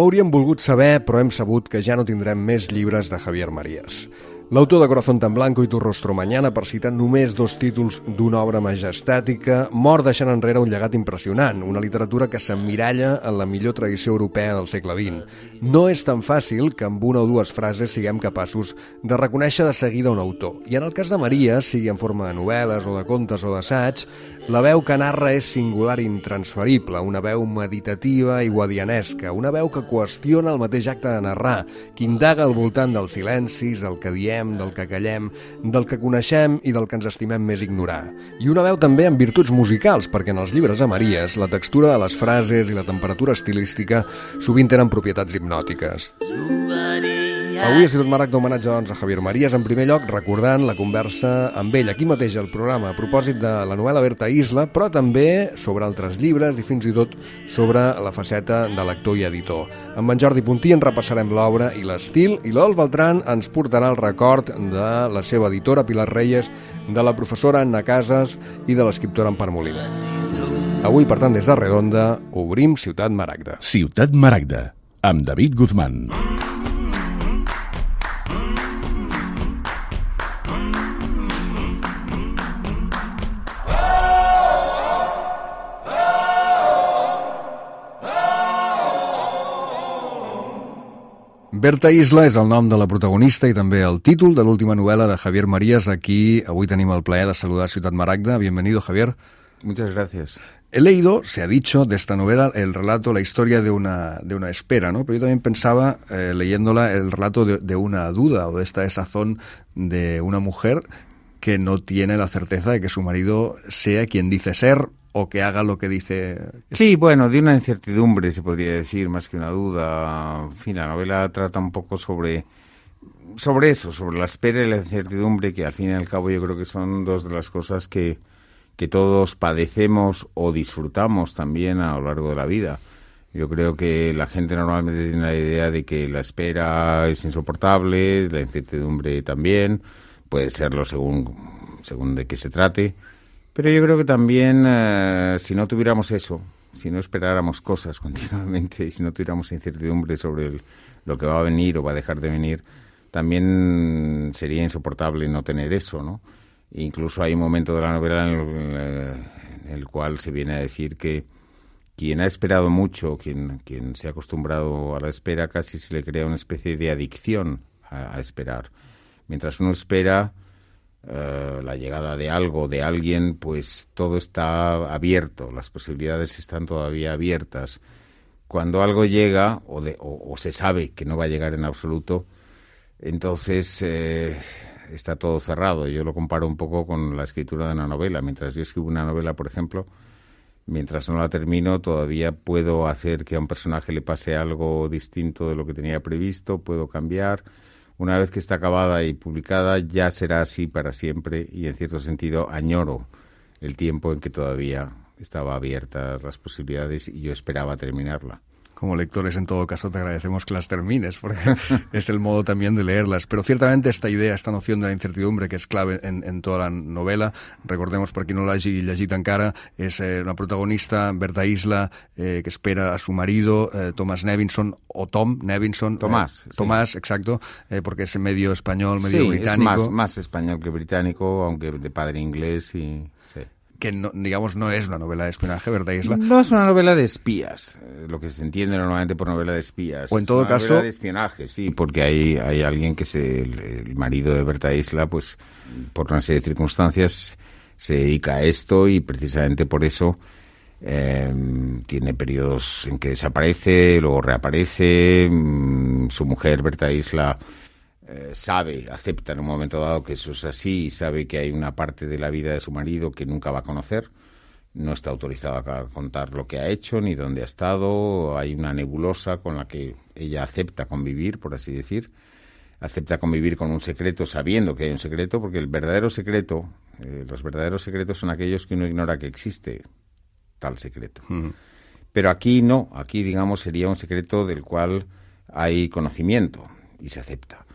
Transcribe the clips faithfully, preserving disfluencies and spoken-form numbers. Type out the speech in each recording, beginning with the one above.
No hauríem volgut saber, però hem sabut que ja no tindrem més llibres de Javier Marías. L'autor de Corazón tan blanco i Tu rostro mañana, per citar només dos títols d'una obra majestàtica, mor deixant enrere un llegat impressionant, una literatura que s'emmiralla en la millor tradició europea del segle vint. No és tan fàcil que amb una o dues frases siguem capaços de reconèixer de seguida un autor. I en el cas de Marías, sigui en forma de novel·les o de contes o d'assaig, la veu que narra és singular i intransferible, una veu meditativa i guadianesca, una veu que qüestiona el mateix acte de narrar, que indaga al voltant dels silencis, del que diem, del que callem, del que coneixem i del que ens estimem més ignorar. I una veu també amb virtuts musicals, perquè en els llibres de Marías la textura de les frases i la temperatura estilística sovint tenen propietats hipnòtiques. Avui a Ciutat Maragda homenatge doncs, a Javier Marías, en primer lloc recordant la conversa amb ell aquí mateix al programa a propòsit de la novel·la Berta Isla, però també sobre altres llibres i fins i tot sobre la faceta de lector i editor. Amb en Jordi Puntí en repassarem l'obra i l'estil, i l'Olf Beltran ens portarà el record de la seva editora Pilar Reyes, de la professora Anna Casas i de l'escriptora Empar Molina. Avui, per tant, des de Redonda, obrim Ciutat Maragda. Ciutat Maragda, amb David Guzmán. Berta Isla és el nom de la protagonista i també el títol de l'última novel·la de Javier Marías. Aquí avui tenim el plaer de saludar a Ciutat Maragda. Bienvenido, Javier. Muchas gracias. He leído, se ha dicho, de esta novela el relato, la historia de una, de una espera, ¿no? Pero yo también pensaba, eh, leyéndola, el relato de, de una duda o de esta desazón de una mujer que no tiene la certeza de que su marido sea quien dice ser o que haga lo que dice. Sí, bueno, de una incertidumbre se podría decir, más que una duda. En fin, la novela trata un poco sobre, sobre eso, sobre la espera y la incertidumbre, que al fin y al cabo yo creo que son dos de las cosas que, que todos padecemos o disfrutamos también a lo largo de la vida. Yo creo que la gente normalmente tiene la idea de que la espera es insoportable, la incertidumbre también, puede serlo según, según de qué se trate. Pero yo creo que también, eh, si no tuviéramos eso, si no esperáramos cosas continuamente y si no tuviéramos incertidumbre sobre el, lo que va a venir o va a dejar de venir, también sería insoportable no tener eso, ¿no? Incluso hay un momento de la novela en el, en el cual se viene a decir que quien ha esperado mucho, quien, quien se ha acostumbrado a la espera, casi se le crea una especie de adicción a, a esperar. Mientras uno espera Uh, la llegada de algo, de alguien, pues todo está abierto, las posibilidades están todavía abiertas. Cuando algo llega, o, de, o, o se sabe que no va a llegar en absoluto, entonces eh, está todo cerrado. Yo lo comparo un poco con la escritura de una novela. Mientras yo escribo una novela, por ejemplo, mientras no la termino, todavía puedo hacer que a un personaje le pase algo distinto de lo que tenía previsto, puedo cambiar. Una vez que está acabada y publicada, ya será así para siempre y, en cierto sentido, añoro el tiempo en que todavía estaba abiertas las posibilidades y yo esperaba terminarla. Como lectores, en todo caso, te agradecemos que las termines, porque es el modo también de leerlas. Pero ciertamente esta idea, esta noción de la incertidumbre, que és clave en, en tota la novel·la, recordemos, per qui no l'hagi llegit encara, és eh, una protagonista, Berta Isla, eh, que espera a su marido, eh, Thomas Nevinson, o Tom Nevinson. Tomás. Eh, Tomás, sí. Exacto, eh, porque es medio español, medio sí, británico. Sí, es más, más español que británico, aunque de padre inglés y... que no, digamos no es una novela de espionaje, Berta Isla. No es una novela de espías, eh, lo que se entiende normalmente por novela de espías. O en todo una caso... novela de espionaje, sí, porque hay, hay alguien que es el, el marido de Berta Isla, pues por una serie de circunstancias se dedica a esto y precisamente por eso eh, tiene periodos en que desaparece, luego reaparece. Mmm, su mujer, Berta Isla, Eh, sabe, acepta en un momento dado que eso es así y sabe que hay una parte de la vida de su marido que nunca va a conocer. No está autorizado a contar lo que ha hecho ni dónde ha estado. Hay una nebulosa con la que ella acepta convivir, por así decir. Acepta convivir con un secreto sabiendo que hay un secreto, porque el verdadero secreto, eh, los verdaderos secretos son aquellos que uno ignora que existe tal secreto. Uh-huh. Pero aquí no, aquí digamos sería un secreto del cual hay conocimiento y se acepta.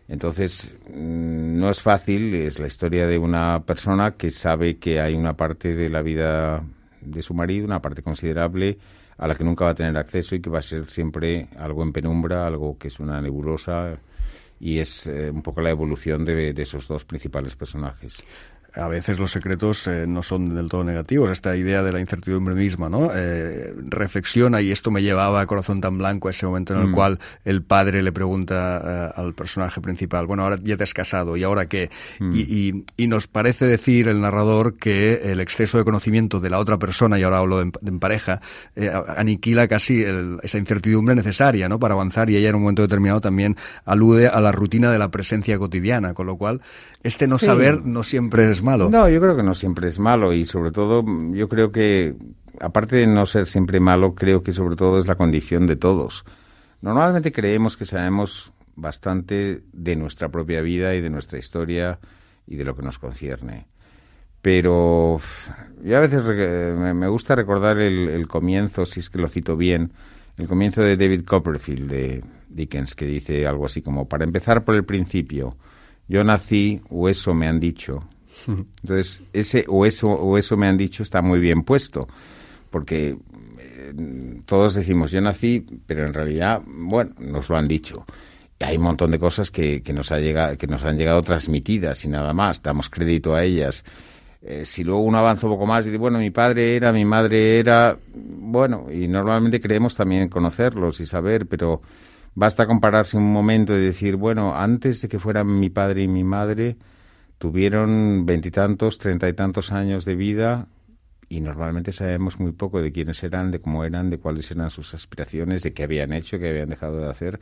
Entonces, no es fácil, es la historia de una persona que sabe que hay una parte de la vida de su marido, una parte considerable, a la que nunca va a tener acceso y que va a ser siempre algo en penumbra, algo que es una nebulosa, y es eh, un poco la evolución de, de esos dos principales personajes. A veces los secretos eh, no son del todo negativos, esta idea de la incertidumbre misma, ¿no? Eh, reflexiona, y esto me llevaba a Corazón tan blanco, a ese momento en el mm. cual el padre le pregunta uh, al personaje principal, bueno, ahora ya te has casado, ¿y ahora qué? Mm. Y, y, y nos parece decir el narrador que el exceso de conocimiento de la otra persona, y ahora hablo de, de en pareja, eh, aniquila casi el, esa incertidumbre necesaria, ¿no?, para avanzar, y ella en un momento determinado también alude a la rutina de la presencia cotidiana, con lo cual este no sí. saber no siempre es malo. No, yo creo que no siempre es malo, y sobre todo yo creo que, aparte de no ser siempre malo, creo que sobre todo es la condición de todos. Normalmente creemos que sabemos bastante de nuestra propia vida y de nuestra historia y de lo que nos concierne. Pero yo a veces me gusta recordar el, el comienzo, si es que lo cito bien, el comienzo de David Copperfield de Dickens, que dice algo así como, para empezar por el principio, yo nací o eso me han dicho. Entonces, ese o eso o eso me han dicho está muy bien puesto, porque eh, todos decimos yo nací, pero en realidad, bueno, nos lo han dicho. Y hay un montón de cosas que, que, nos ha llegado, que nos han llegado transmitidas y nada más, damos crédito a ellas. Eh, si luego uno avanza un poco más y dice, bueno, mi padre era, mi madre era, bueno, y normalmente creemos también conocerlos y saber, pero basta compararse un momento y decir, bueno, antes de que fueran mi padre y mi madre, tuvieron veintitantos, treinta y tantos años de vida, y normalmente sabemos muy poco de quiénes eran, de cómo eran, de cuáles eran sus aspiraciones, de qué habían hecho, qué habían dejado de hacer.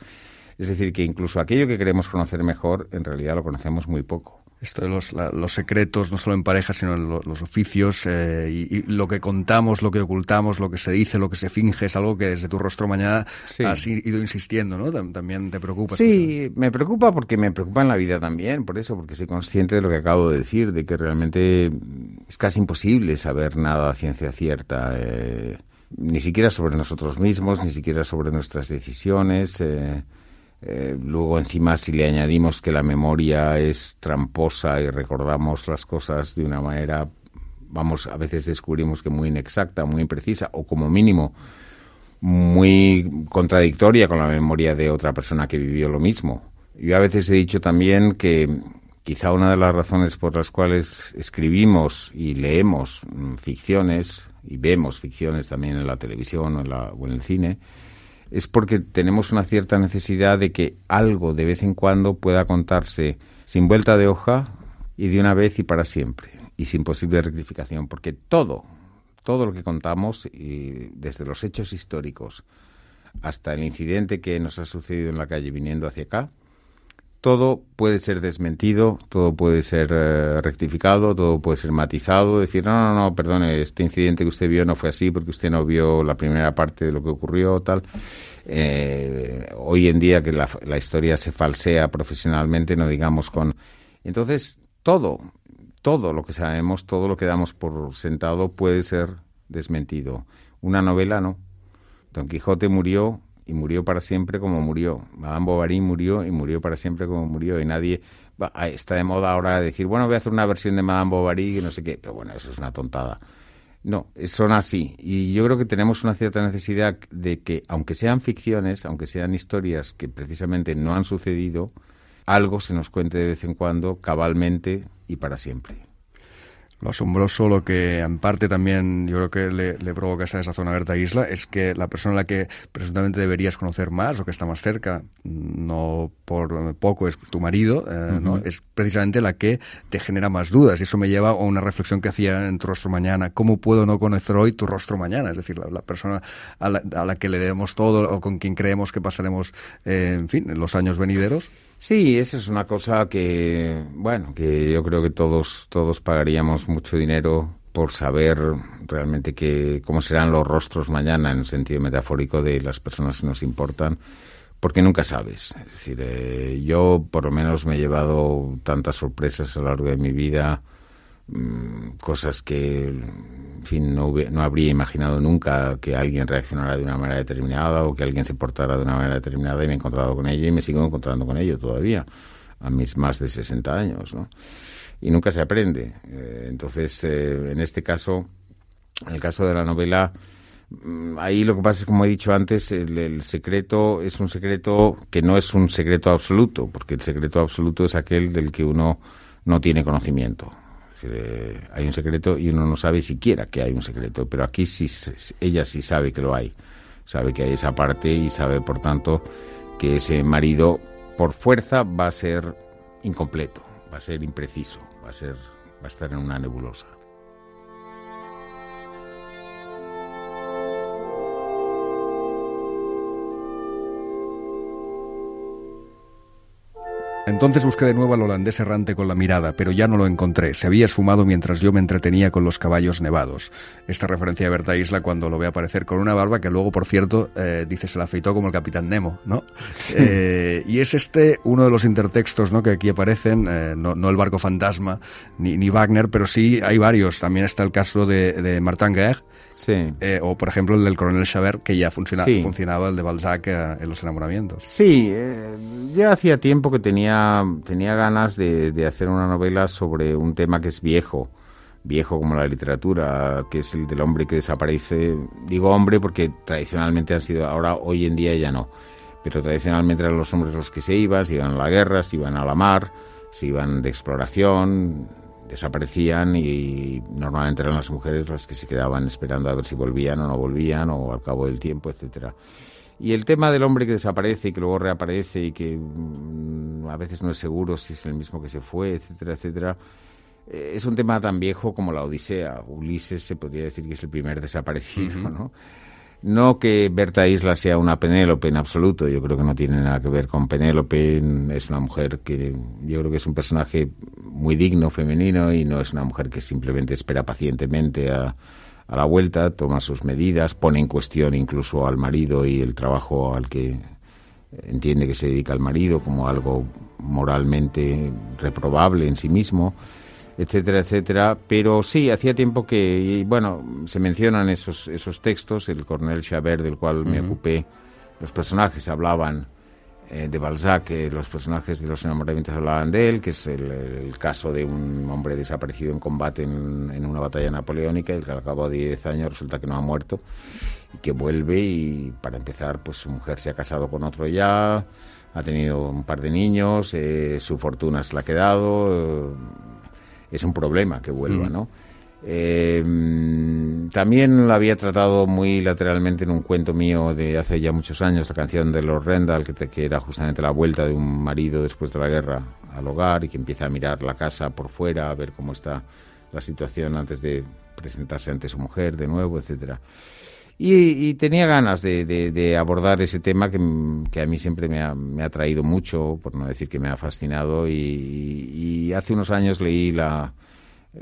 Es decir, que incluso aquello que queremos conocer mejor, en realidad lo conocemos muy poco. Esto de los, la, los secretos, no solo en pareja, sino en lo, los oficios, eh, y, y lo que contamos, lo que ocultamos, lo que se dice, lo que se finge, es algo que desde Tu rostro mañana sí. has ido insistiendo, ¿no? También te preocupa. Sí, me preocupa porque me preocupa en la vida también, por eso, porque soy consciente de lo que acabo de decir, de que realmente es casi imposible saber nada a ciencia cierta, eh, ni siquiera sobre nosotros mismos, ni siquiera sobre nuestras decisiones. Eh, Eh, luego encima si le añadimos que la memoria es tramposa y recordamos las cosas de una manera, vamos, a veces descubrimos que muy inexacta, muy imprecisa, o como mínimo muy contradictoria con la memoria de otra persona que vivió lo mismo. Yo a veces he dicho también que quizá una de las razones por las cuales escribimos y leemos ficciones, y vemos ficciones también en la televisión o en, la, o en el cine, es porque tenemos una cierta necesidad de que algo de vez en cuando pueda contarse sin vuelta de hoja y de una vez y para siempre, y sin posible rectificación, porque todo, todo lo que contamos, y desde los hechos históricos hasta el incidente que nos ha sucedido en la calle viniendo hacia acá, todo puede ser desmentido, todo puede ser eh, rectificado, todo puede ser matizado, decir, no, no, no, perdone, este incidente que usted vio no fue así porque usted no vio la primera parte de lo que ocurrió, tal. Eh, hoy en día que la, la historia se falsea profesionalmente, no digamos con... Entonces, todo, todo lo que sabemos, todo lo que damos por sentado puede ser desmentido. Una novela no. Don Quijote murió... y murió para siempre como murió. Madame Bovary murió y murió para siempre como murió. Y nadie... Está de moda ahora decir, bueno, voy a hacer una versión de Madame Bovary y no sé qué. Pero bueno, eso es una tontada. No, son así. Y yo creo que tenemos una cierta necesidad de que, aunque sean ficciones, aunque sean historias que precisamente no han sucedido, algo se nos cuente de vez en cuando, cabalmente y para siempre. Lo asombroso, lo que en parte también yo creo que le, le provoca esta desazón a Berta Isla, es que la persona a la que presuntamente deberías conocer más o que está más cerca, no por poco es tu marido, eh, uh-huh. ¿no? Es precisamente la que te genera más dudas. Y eso me lleva a una reflexión que hacía en Tu rostro mañana. ¿Cómo puedo no conocer hoy tu rostro mañana? Es decir, la, la persona a la, a la que le debemos todo o con quien creemos que pasaremos, eh, en fin, en los años venideros. Sí, eso es una cosa que, bueno, que yo creo que todos todos pagaríamos mucho dinero por saber realmente que cómo serán los rostros mañana, en el sentido metafórico de las personas que nos importan, porque nunca sabes. Es decir, eh, yo por lo menos me he llevado tantas sorpresas a lo largo de mi vida, mmm, cosas que, en fin, no, hub- no habría imaginado nunca que alguien reaccionara de una manera determinada o que alguien se portara de una manera determinada, y me he encontrado con ello y me sigo encontrando con ello todavía, a mis más de sesenta años, ¿no? Y nunca se aprende. Eh, entonces, eh, en este caso, en el caso de la novela, Ahí lo que pasa es, como he dicho antes, el, el secreto es un secreto que no es un secreto absoluto, porque el secreto absoluto es aquel del que uno no tiene conocimiento. Eh, hay un secreto y uno no sabe siquiera que hay un secreto, pero aquí sí, ella sí sabe que lo hay, sabe que hay esa parte y sabe, por tanto, que ese marido por fuerza va a ser incompleto, va a ser impreciso, va a ser, va a estar en una nebulosa. Entonces busqué de nuevo al holandés errante con la mirada, pero ya no lo encontré. Se había esfumado mientras yo me entretenía con los caballos nevados. Esta referencia de Berta Isla cuando lo ve aparecer con una barba que luego, por cierto, eh, dice se la afeitó como el Capitán Nemo, ¿no? Sí. Eh, y es este uno de los intertextos, ¿no?, que aquí aparecen, eh, no, no el barco fantasma ni, ni Wagner, pero sí hay varios. También está el caso de, de Martin Guerre, sí. eh, o por ejemplo el del coronel Chabert, que ya funciona, sí. funcionaba el de Balzac eh, en Los enamoramientos. Sí, eh, ya hacía tiempo que tenía tenía ganas de, de hacer una novela sobre un tema que es viejo, viejo como la literatura, que es el del hombre que desaparece. Digo hombre porque tradicionalmente han sido, ahora hoy en día ya no, pero tradicionalmente eran los hombres los que se iban, se iban a la guerra, se iban a la mar, se iban de exploración, desaparecían y normalmente eran las mujeres las que se quedaban esperando a ver si volvían o no volvían o al cabo del tiempo, etcétera. Y el tema del hombre que desaparece y que luego reaparece y que mmm, a veces no es seguro si es el mismo que se fue, etcétera, etcétera, eh, es un tema tan viejo como la Odisea. Ulises se podría decir que es el primer desaparecido, uh-huh. ¿no? No que Berta Isla sea una Penélope en absoluto, yo creo que no tiene nada que ver con Penélope, es una mujer que yo creo que es un personaje muy digno, femenino, y no es una mujer que simplemente espera pacientemente a... a la vuelta, toma sus medidas, pone en cuestión incluso al marido y el trabajo al que entiende que se dedica el marido como algo moralmente reprobable en sí mismo, etcétera, etcétera. Pero sí, hacía tiempo que, y bueno, se mencionan esos, esos textos, el coronel Chabert, del cual uh-huh. me ocupé, los personajes hablaban eh, de Balzac, eh, los personajes de Los enamoramientos hablaban de él, que es el, el caso de un hombre desaparecido en combate en, en una batalla napoleónica, y que al cabo de diez años resulta que no ha muerto y que vuelve, y para empezar pues su mujer se ha casado con otro ya, ha tenido un par de niños, eh, su fortuna se la ha quedado, eh, es un problema que vuelva, ¿no? Eh, también la había tratado muy lateralmente en un cuento mío de hace ya muchos años, la canción de Lord Rendell, que, te, que era justamente la vuelta de un marido después de la guerra al hogar y que empieza a mirar la casa por fuera, a ver cómo está la situación antes de presentarse ante su mujer de nuevo, etcétera. Y, y tenía ganas de, de, de abordar ese tema que, que a mí siempre me ha, me ha atraído mucho, por no decir que me ha fascinado, y, y hace unos años leí la...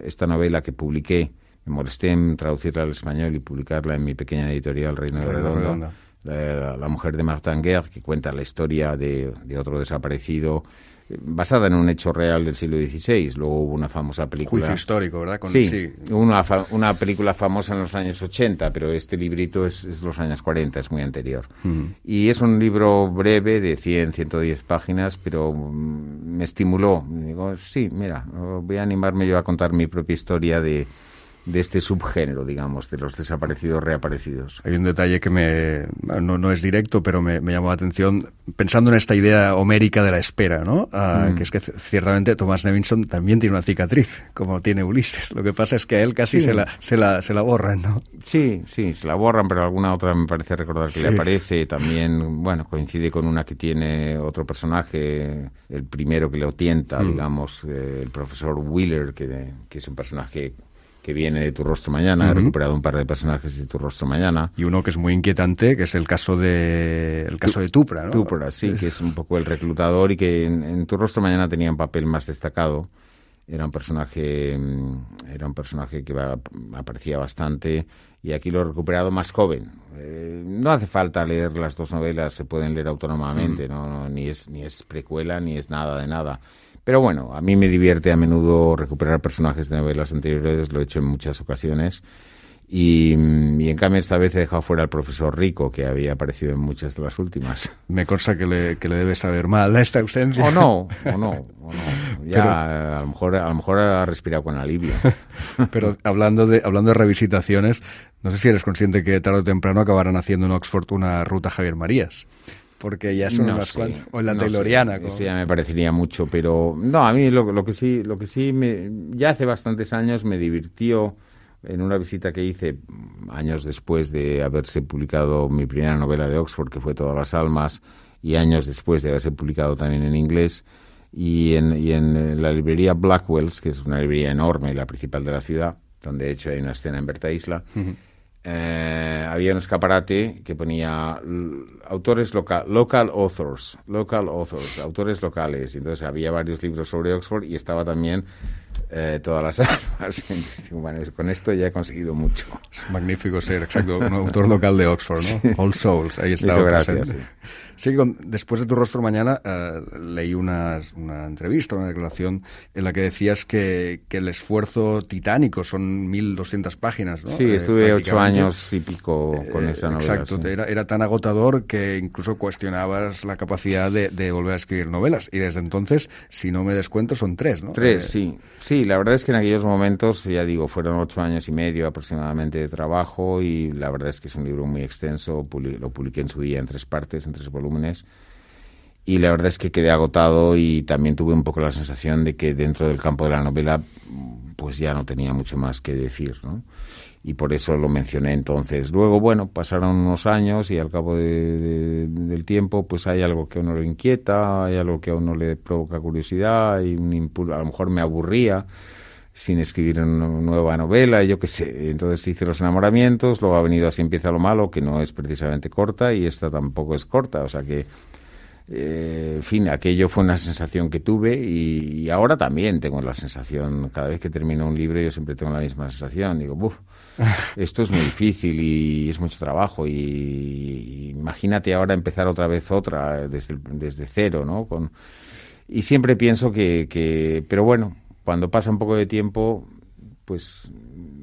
esta novela que publiqué, me molesté en traducirla al español y publicarla en mi pequeña editorial Reino de Redondo, la, la mujer de Martin Guerre, que cuenta la historia de, de otro desaparecido, basada en un hecho real del siglo dieciséis. Luego hubo una famosa película... Juicio histórico, ¿verdad? Con, sí, sí. Una, fa una película famosa en los años ochenta, pero este librito es, es los años cuarenta, es muy anterior. Uh-huh. Y es un libro breve de cien, ciento diez páginas, pero um, me estimuló. Digo, sí, mira, voy a animarme yo a contar mi propia historia de... de este subgénero, digamos, de los desaparecidos reaparecidos. Hay un detalle que me no, no es directo, pero me, me llamó la atención, pensando en esta idea homérica de la espera, ¿no? Uh, mm. Que es que ciertamente Thomas Nevinson también tiene una cicatriz, como tiene Ulises. Lo que pasa es que a él casi sí. se, la, se, la, se la borran, ¿no? Sí, sí, se la borran, pero alguna otra me parece recordar que sí. le aparece. También, bueno, coincide con una que tiene otro personaje, el primero que lo tienta, mm. digamos, eh, el profesor Wheeler, que, que es un personaje... que viene de Tu rostro mañana, uh-huh. he recuperado un par de personajes de Tu rostro mañana. Y uno que es muy inquietante, que es el caso de el caso tu, de Tupra, ¿no? Tupra, sí, es... que es un poco el reclutador y que en, en Tu rostro mañana tenía un papel más destacado. Era un personaje era un personaje que va, aparecía bastante, y aquí lo he recuperado más joven. Eh, no hace falta leer las dos novelas, se pueden leer autónomamente, uh-huh. no, no, ni es ni es precuela ni es nada de nada. Pero bueno, a mí me divierte a menudo recuperar personajes de novelas anteriores, lo he hecho en muchas ocasiones. Y, y en cambio esta vez he dejado fuera al profesor Rico, que había aparecido en muchas de las últimas. Me consta que le, que le debe saber mal esta ausencia. O no, o no, o no. Ya, pero, a lo mejor, a lo mejor ha respirado con alivio. Pero hablando de, hablando de revisitaciones, no sé si eres consciente que tarde o temprano acabarán haciendo en Oxford una ruta Javier Marías. Porque ya son no unas sé, cuantas. O en la no Tayloriana. Sé, eso ya me parecería mucho, pero no, a mí lo, lo que sí, lo que sí me, ya hace bastantes años me divirtió en una visita que hice años después de haberse publicado mi primera novela de Oxford, que fue Todas las almas, y años después de haberse publicado también en inglés, y en, y en la librería Blackwell's, que es una librería enorme, la principal de la ciudad, donde de hecho hay una escena en Berta Isla. Uh-huh. Eh, había un escaparate que ponía autores local, local authors, local authors, autores locales. Entonces había varios libros sobre Oxford y estaba también eh, Todas las almas. Bueno, con esto ya he conseguido mucho. Es magnífico ser, exacto, un autor local de Oxford, ¿no? Sí. All Souls, ahí estaba gracias, presente. Sí. Sí, con, después de Tu rostro mañana eh, leí una, una entrevista, una declaración en la que decías que, que el esfuerzo titánico son mil doscientas páginas, ¿no? Sí, estuve eh, ocho años y pico con esa novela. Exacto, sí. era, era tan agotador que incluso cuestionabas la capacidad de, de volver a escribir novelas. Y desde entonces, si no me descuento, son tres, ¿no? Tres, eh, sí. Sí, la verdad es que en aquellos momentos, ya digo, fueron ocho años y medio aproximadamente de trabajo y la verdad es que es un libro muy extenso, lo publiqué en su día en tres partes, en tres volúmenes. Y la verdad es que quedé agotado y también tuve un poco la sensación de que dentro del campo de la novela pues ya no tenía mucho más que decir, ¿no? Y por eso lo mencioné entonces. Luego, bueno, pasaron unos años y al cabo de, de, del tiempo pues hay algo que a uno le inquieta, hay algo que a uno le provoca curiosidad, hay un impulso, a lo mejor me aburría sin escribir una nueva novela, yo qué sé. Entonces hice Los enamoramientos, luego ha venido Así empieza lo malo, que no es precisamente corta, y esta tampoco es corta, o sea que, eh, en fin, aquello fue una sensación que tuve y, y ahora también tengo la sensación, cada vez que termino un libro yo siempre tengo la misma sensación, digo, buf, esto es muy difícil y es mucho trabajo y, y imagínate ahora empezar otra vez otra desde, desde cero, ¿no? Con, y siempre pienso que, que, pero bueno, cuando pasa un poco de tiempo, pues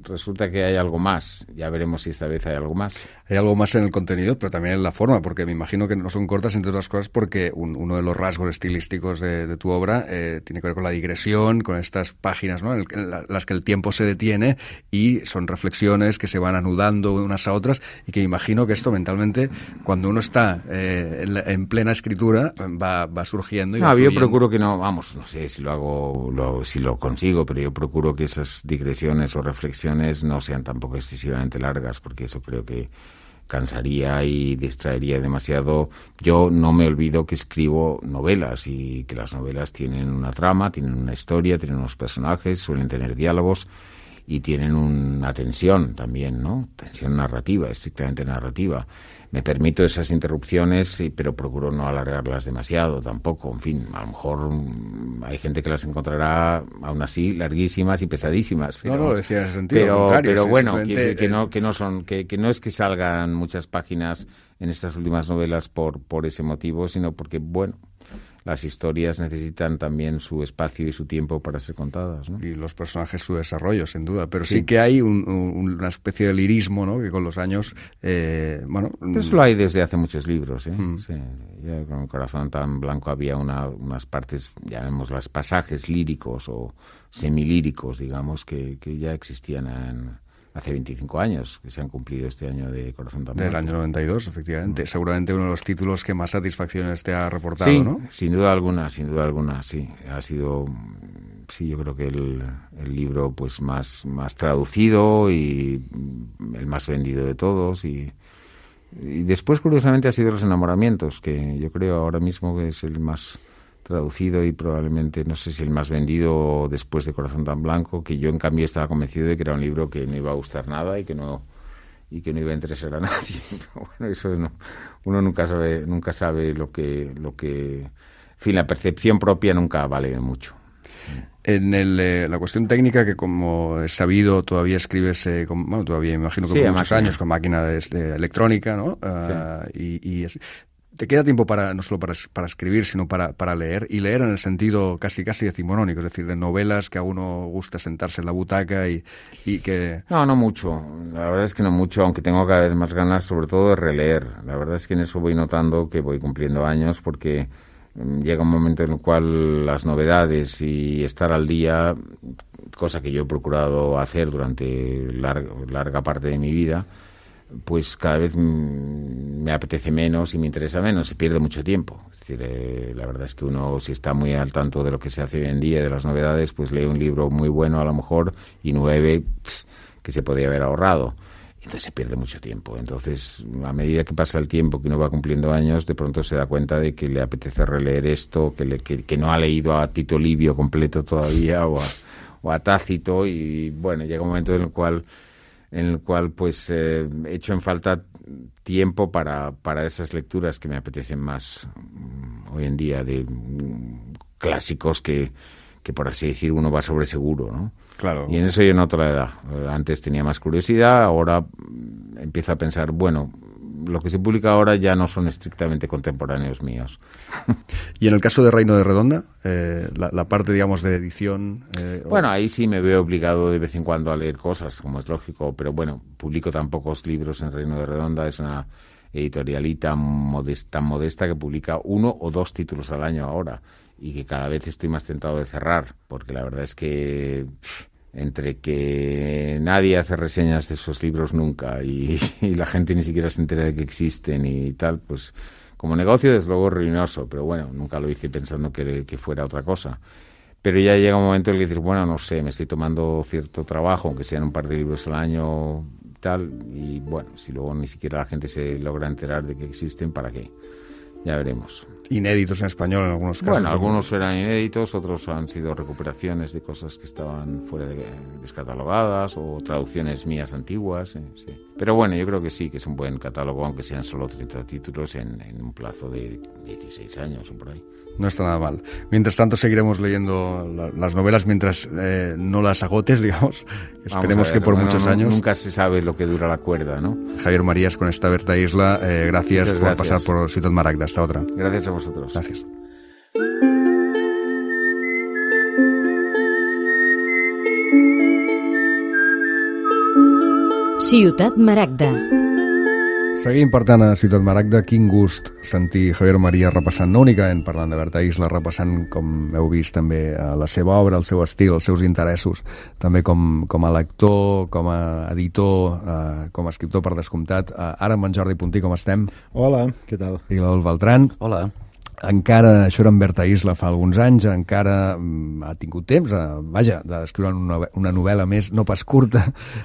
resulta que hay algo más. Ya veremos si esta vez hay algo más. Hay algo más en el contenido, pero también en la forma, porque me imagino que no son cortas, entre otras cosas, porque un, uno de los rasgos estilísticos de, de tu obra eh, tiene que ver con la digresión, con estas páginas, ¿no?, en, el, en la, las que el tiempo se detiene y son reflexiones que se van anudando unas a otras y que me imagino que esto mentalmente, cuando uno está eh, en, la, en plena escritura, va, va surgiendo. Y no, va yo fluyendo. procuro que no, vamos, no sé si lo hago, lo, si lo consigo, pero yo procuro que esas digresiones o reflexiones no sean tampoco excesivamente largas, porque eso creo que cansaría y distraería demasiado. Yo no me olvido que escribo novelas y que las novelas tienen una trama, tienen una historia, tienen unos personajes, suelen tener diálogos y tienen una tensión también, ¿no? Tensión narrativa, estrictamente narrativa. Me permito esas interrupciones, pero procuro no alargarlas demasiado tampoco. En fin, a lo mejor hay gente que las encontrará aún así larguísimas y pesadísimas. Pero, no, no, lo decía en ese sentido. Pero, contrario, pero es bueno, que, simplemente... que, no, que, no son, que, que no es que salgan muchas páginas en estas últimas novelas por, por ese motivo, sino porque, bueno, las historias necesitan también su espacio y su tiempo para ser contadas, ¿no? Y los personajes su desarrollo, sin duda. Pero sí, sí que hay un, un, una especie de lirismo, ¿no?, que con los años, eh, bueno... Pero eso lo hay desde hace muchos libros, ¿eh? Mm. Sí. Ya con El corazón tan blanco había una, unas partes, llamémoslas pasajes líricos o semilíricos, digamos, que, que ya existían en... hace veinticinco años, que se han cumplido este año de Corazón tan Del blanco. año noventa y dos, efectivamente. Mm. Seguramente uno de los títulos que más satisfacciones te ha reportado, sí, ¿no? Sin duda alguna, sin duda alguna, sí. Ha sido, sí, yo creo que el, el libro pues más, más traducido y el más vendido de todos. Y, y después, curiosamente, ha sido Los enamoramientos, que yo creo ahora mismo que es el más traducido y probablemente, no sé si el más vendido después de Corazón tan blanco, que yo en cambio estaba convencido de que era un libro que no iba a gustar nada y que no y que no iba a interesar a nadie. Pero bueno, eso no, uno nunca sabe nunca sabe lo que lo que en fin, la percepción propia nunca vale de mucho. En el, eh, la cuestión técnica, que como he sabido todavía escribes, eh, con, bueno, todavía imagino que sí, por muchos máquina. años con máquina de, de electrónica, ¿no? Uh, sí. Y, y es, te queda tiempo para no solo para, para escribir, sino para, para leer, y leer en el sentido casi casi decimonónico, es decir, de novelas que a uno gusta sentarse en la butaca y, y que... No, no mucho, la verdad es que no mucho, aunque tengo cada vez más ganas sobre todo de releer. La verdad es que en eso voy notando que voy cumpliendo años porque llega un momento en el cual las novedades y estar al día, cosa que yo he procurado hacer durante larga, larga parte de mi vida, pues cada vez me apetece menos y me interesa menos, se pierde mucho tiempo. Es decir, eh, la verdad es que uno, si está muy al tanto de lo que se hace hoy en día, de las novedades, pues lee un libro muy bueno a lo mejor y nueve pff, que se podía haber ahorrado. Entonces se pierde mucho tiempo. Entonces, a medida que pasa el tiempo, que uno va cumpliendo años, de pronto se da cuenta de que le apetece releer esto, que, le, que, que no ha leído a Tito Livio completo todavía o a, o a Tácito, y bueno, llega un momento en el cual en el cual pues eh, echo en falta tiempo para, para esas lecturas que me apetecen más um, hoy en día, de um, clásicos que, que por así decir uno va sobre seguro, ¿no? Claro. Y en eso yo noto la edad. Antes tenía más curiosidad, ahora empiezo a pensar, bueno, lo que se publica ahora ya no son estrictamente contemporáneos míos. Y en el caso de Reino de Redonda, eh, la, la parte, digamos, de edición... Eh, bueno, ahí sí me veo obligado de vez en cuando a leer cosas, como es lógico, pero bueno, publico tan pocos libros en Reino de Redonda, es una editorialita modesta, tan modesta que publica uno o dos títulos al año ahora, y que cada vez estoy más tentado de cerrar, porque la verdad es que pff, entre que nadie hace reseñas de esos libros nunca y, y la gente ni siquiera se entera de que existen y tal, pues como negocio desde luego ruinoso, pero bueno, nunca lo hice pensando que, que fuera otra cosa. Pero ya llega un momento en el que dices, bueno, no sé, me estoy tomando cierto trabajo, aunque sean un par de libros al año tal, y bueno, si luego ni siquiera la gente se logra enterar de que existen, ¿para qué? Ya veremos. Inéditos en español en algunos casos. Bueno, algunos eran inéditos, otros han sido recuperaciones de cosas que estaban fuera de, descatalogadas o traducciones mías antiguas. Eh, sí. Pero bueno, yo creo que sí, que es un buen catálogo, aunque sean solo treinta títulos en, en un plazo de dieciséis años o por ahí. No está nada mal. Mientras tanto, seguiremos leyendo la, las novelas mientras eh, no las agotes, digamos. Esperemos ver, que por bueno, muchos no, años. Nunca se sabe lo que dura la cuerda, ¿no? Javier Marías, con esta Berta Isla, eh, gracias Muchas por gracias. pasar por Ciutat Maragda. Hasta otra. Gracias a vosotros. Gracias. Ciutat Maragda. Seguim, per tant, a Ciutat Maragda. Quin gust sentir Javier Marías repassant, no únicament parlant de Berta Isla, repassant, com heu vist, també la seva obra, el seu estil, els seus interessos, també com, com a lector, com a editor, eh, com a escriptor, per descomptat. Eh, ara amb en Jordi Puntí, com estem? Hola, què tal? I l'Adolf Beltran. Hola. Encara, això era en Berta Isla fa alguns anys, encara mm, ha tingut temps, eh, vaja, d'escriure una, una novel·la més, no pas curta,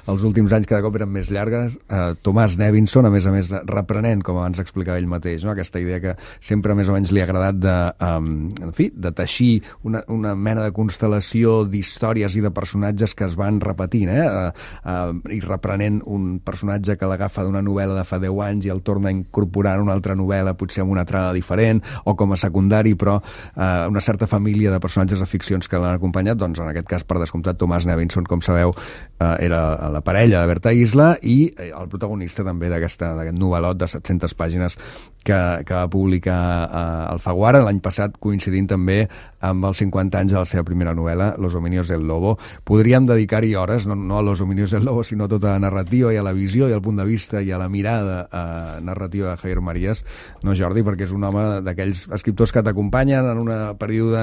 els últims anys cada cop eren més llargues. Eh, Tomàs Nevinson, a més a més, reprenent, com abans explicava ell mateix, no? Aquesta idea que sempre més o menys li ha agradat de, um, en fi, de teixir una, una mena de constel·lació d'històries i de personatges que es van repetint, eh? Uh, uh, i reprenent un personatge que l'agafa d'una novel·la de fa deu anys i el torna a incorporar en una altra novel·la, potser amb una trama diferent, o com a secundari, però eh, una certa família de personatges de ficcions que l'han acompanyat. Doncs en aquest cas, per descomptat, Tomàs Nevinson, com sabeu, eh, era la parella de Berta Isla i eh, el protagonista també d'aquest novel·lot de set-centes pàgines que, que va publicar eh, Alfaguara l'any passat, coincidint també amb els cinquanta anys de la seva primera novel·la, Los hominios del lobo. Podríem dedicar-hi hores, no, no a Los hominios del lobo, sinó a tota la narrativa i a la visió i al punt de vista i a la mirada eh, narrativa de Javier Marías, no, Jordi? Perquè és un home d'aquells escriptors que t'acompanyen en un període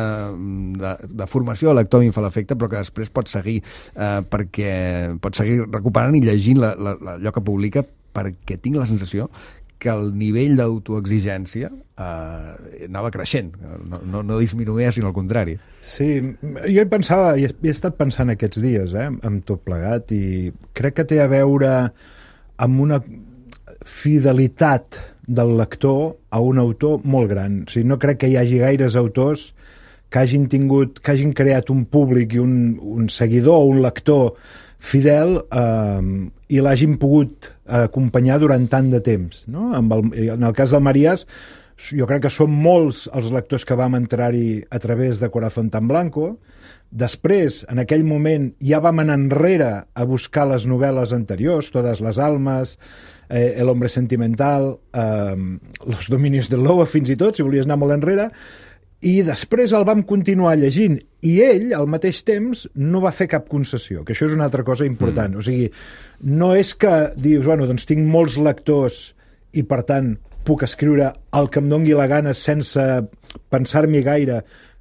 de, de formació, el lector a mi em fa l'efecte, però que després pots seguir eh, perquè pots seguir recuperant i llegint la, la, la, allò que publica, perquè tinc la sensació que el nivell d'autoexigència eh, anava creixent, no, no, no disminuïa, sinó al contrari. Sí, jo hi pensava, i he, he estat pensant aquests dies, eh, amb tot plegat, i crec que té a veure amb una fidelitat del lector a un autor molt gran. O sigui, no crec que hi hagi gaires autors que hagin tingut, que hagin creat un públic i un, un seguidor o un lector fidel eh, i l'hagin pogut acompanyar durant tant de temps, no? Amb el, en el cas del Marías, jo crec que són molts els lectors que vam entrar-hi a través de Corazón tan Blanco. Després, en aquell moment, ja vam anar enrere a buscar les novel·les anteriors, Todas las almas, eh, El hombre sentimental, eh, Los dominios del lobo, fins i tot, si volies anar molt enrere, i després el vam continuar llegint, i ell, al mateix temps, no va fer cap concessió, que això és una altra cosa important. Mm. O sigui, no és que dius, bueno, doncs tinc molts lectors i, per tant, puc escriure el que em dongui la gana sense pensar-m'hi gaire,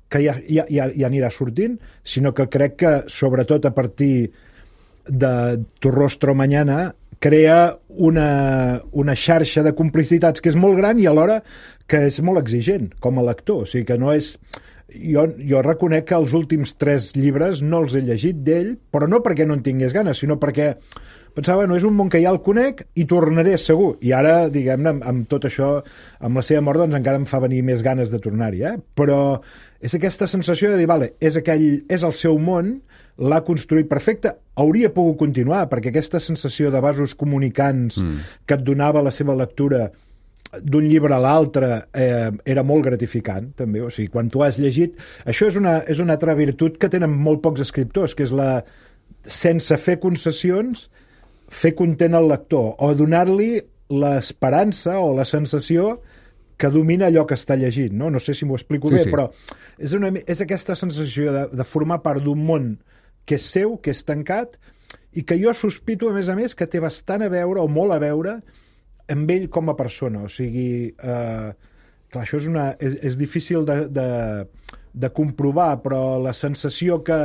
que ja, ja, ja, ja anirà sortint, sinó que crec que, sobretot a partir de Tu rostro mañana, crea una, una xarxa de complicitats que és molt gran i alhora que és molt exigent com a lector. O sigui que no és... Jo, jo reconec que els últims tres llibres no els he llegit d'ell, però no perquè no en tingués ganes, sinó perquè pensava, no, és un món que ja el conec i tornaré segur. I ara, diguem-ne, amb, amb tot això, amb la seva mort, doncs encara em fa venir més ganes de tornar-hi, eh? Però és aquesta sensació de dir, vale, és, aquell, és el seu món, l'ha construït perfecte, hauria pogut continuar, perquè aquesta sensació de vasos comunicants mm. que et donava la seva lectura d'un llibre a l'altre eh, era molt gratificant, també. O sigui, quan tu has llegit... Això és una, és una altra virtut que tenen molt pocs escriptors, que és la... sense fer concessions, fer content al lector, o donar-li l'esperança o la sensació que domina allò que està llegint, no? No sé si m'ho explico sí, bé, sí. però és, una, és aquesta sensació de, de formar part d'un món que és seu, que és tancat, i que jo sospito, a més a més, que té bastant a veure, o molt a veure, amb ell com a persona. O sigui, eh, clar, això és, una, és, és difícil de, de, de comprovar, però la sensació que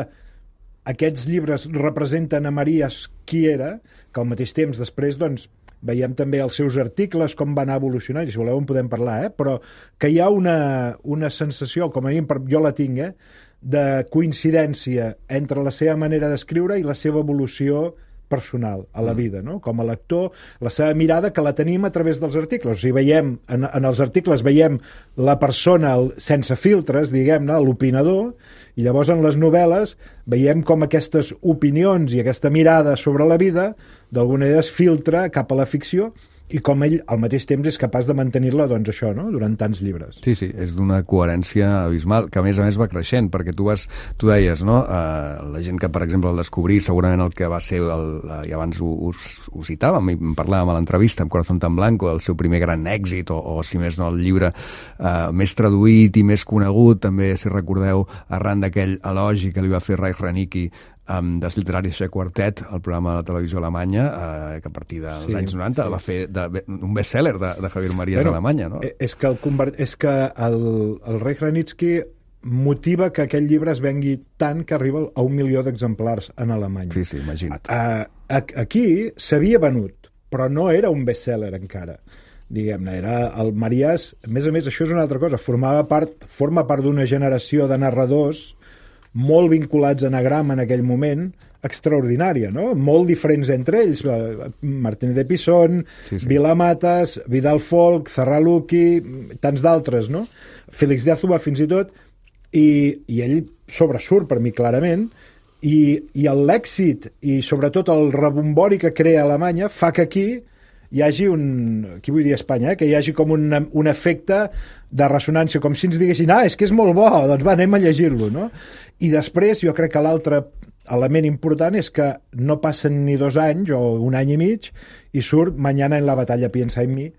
aquests llibres representen a Marías qui era, que al mateix temps després, doncs, veiem també els seus articles, com va anar evolucionant, i si voleu en podem parlar, eh? Però que hi ha una, una sensació, com a mínim jo la tinc, eh? De coincidència entre la seva manera d'escriure i la seva evolució personal a la vida, no? Com a lector, la seva mirada, que la tenim a través dels articles. O sigui, veiem, en, en els articles veiem la persona el, sense filtres, diguem-ne, l'opinador, i llavors en les novel·les veiem com aquestes opinions i aquesta mirada sobre la vida d'alguna manera es filtra cap a la ficció, i com ell al mateix temps és capaç de mantenir-la, doncs això, no?, durant tants llibres. Sí, sí, és d'una coherència abismal, que a més a més va creixent, perquè tu vas, tu deies, no?, uh, la gent que, per exemple, el descobrí, segurament el que va ser, el, uh, i abans ho, ho, ho citàvem, i parlàvem a l'entrevista amb Corazón tan Blanco, el seu primer gran èxit, o, o si més no, el llibre uh, més traduït i més conegut, també, si recordeu, arran d'aquell elogi que li va fer Reich Ranicky Um, dels literaris de Quartet, el programa de la televisió alemanya, eh, que a partir dels sí, anys noranta sí. va fer de, un best-seller de, de Javier Marías bueno, a Alemanya, no? És que el, convert... és que el, el Reich Ranitzky motiva que aquell llibre es vengui tant que arriba a un milió d'exemplars en Alemanya. Sí, sí, imagina't. A, a, aquí s'havia venut, però no era un best-seller encara. Diguem-ne, era el Marías... A més a més, això és una altra cosa, formava part, forma part d'una generació de narradors molt vinculats a Anagram en aquell moment, extraordinària, no? Molt diferents entre ells, Martínez de Pisón, sí, sí. Vila Matas, Vidal Folk, Zarraluki, tants d'altres, no? Félix de Azúa, fins i tot, i, i ell sobresurt per mi clarament, i, i l'èxit i sobretot el rebombori que crea Alemanya fa que aquí hi hagi un, aquí vull dir a Espanya, eh, que hi hagi com un, un efecte de ressonància, com si ens diguessin, ah, és que és molt bo, doncs va, anem a llegir-lo, no? I després jo crec que l'altre element important és que no passen ni dos anys o un any i mig i surt Mañana en la batalla piensa en mi,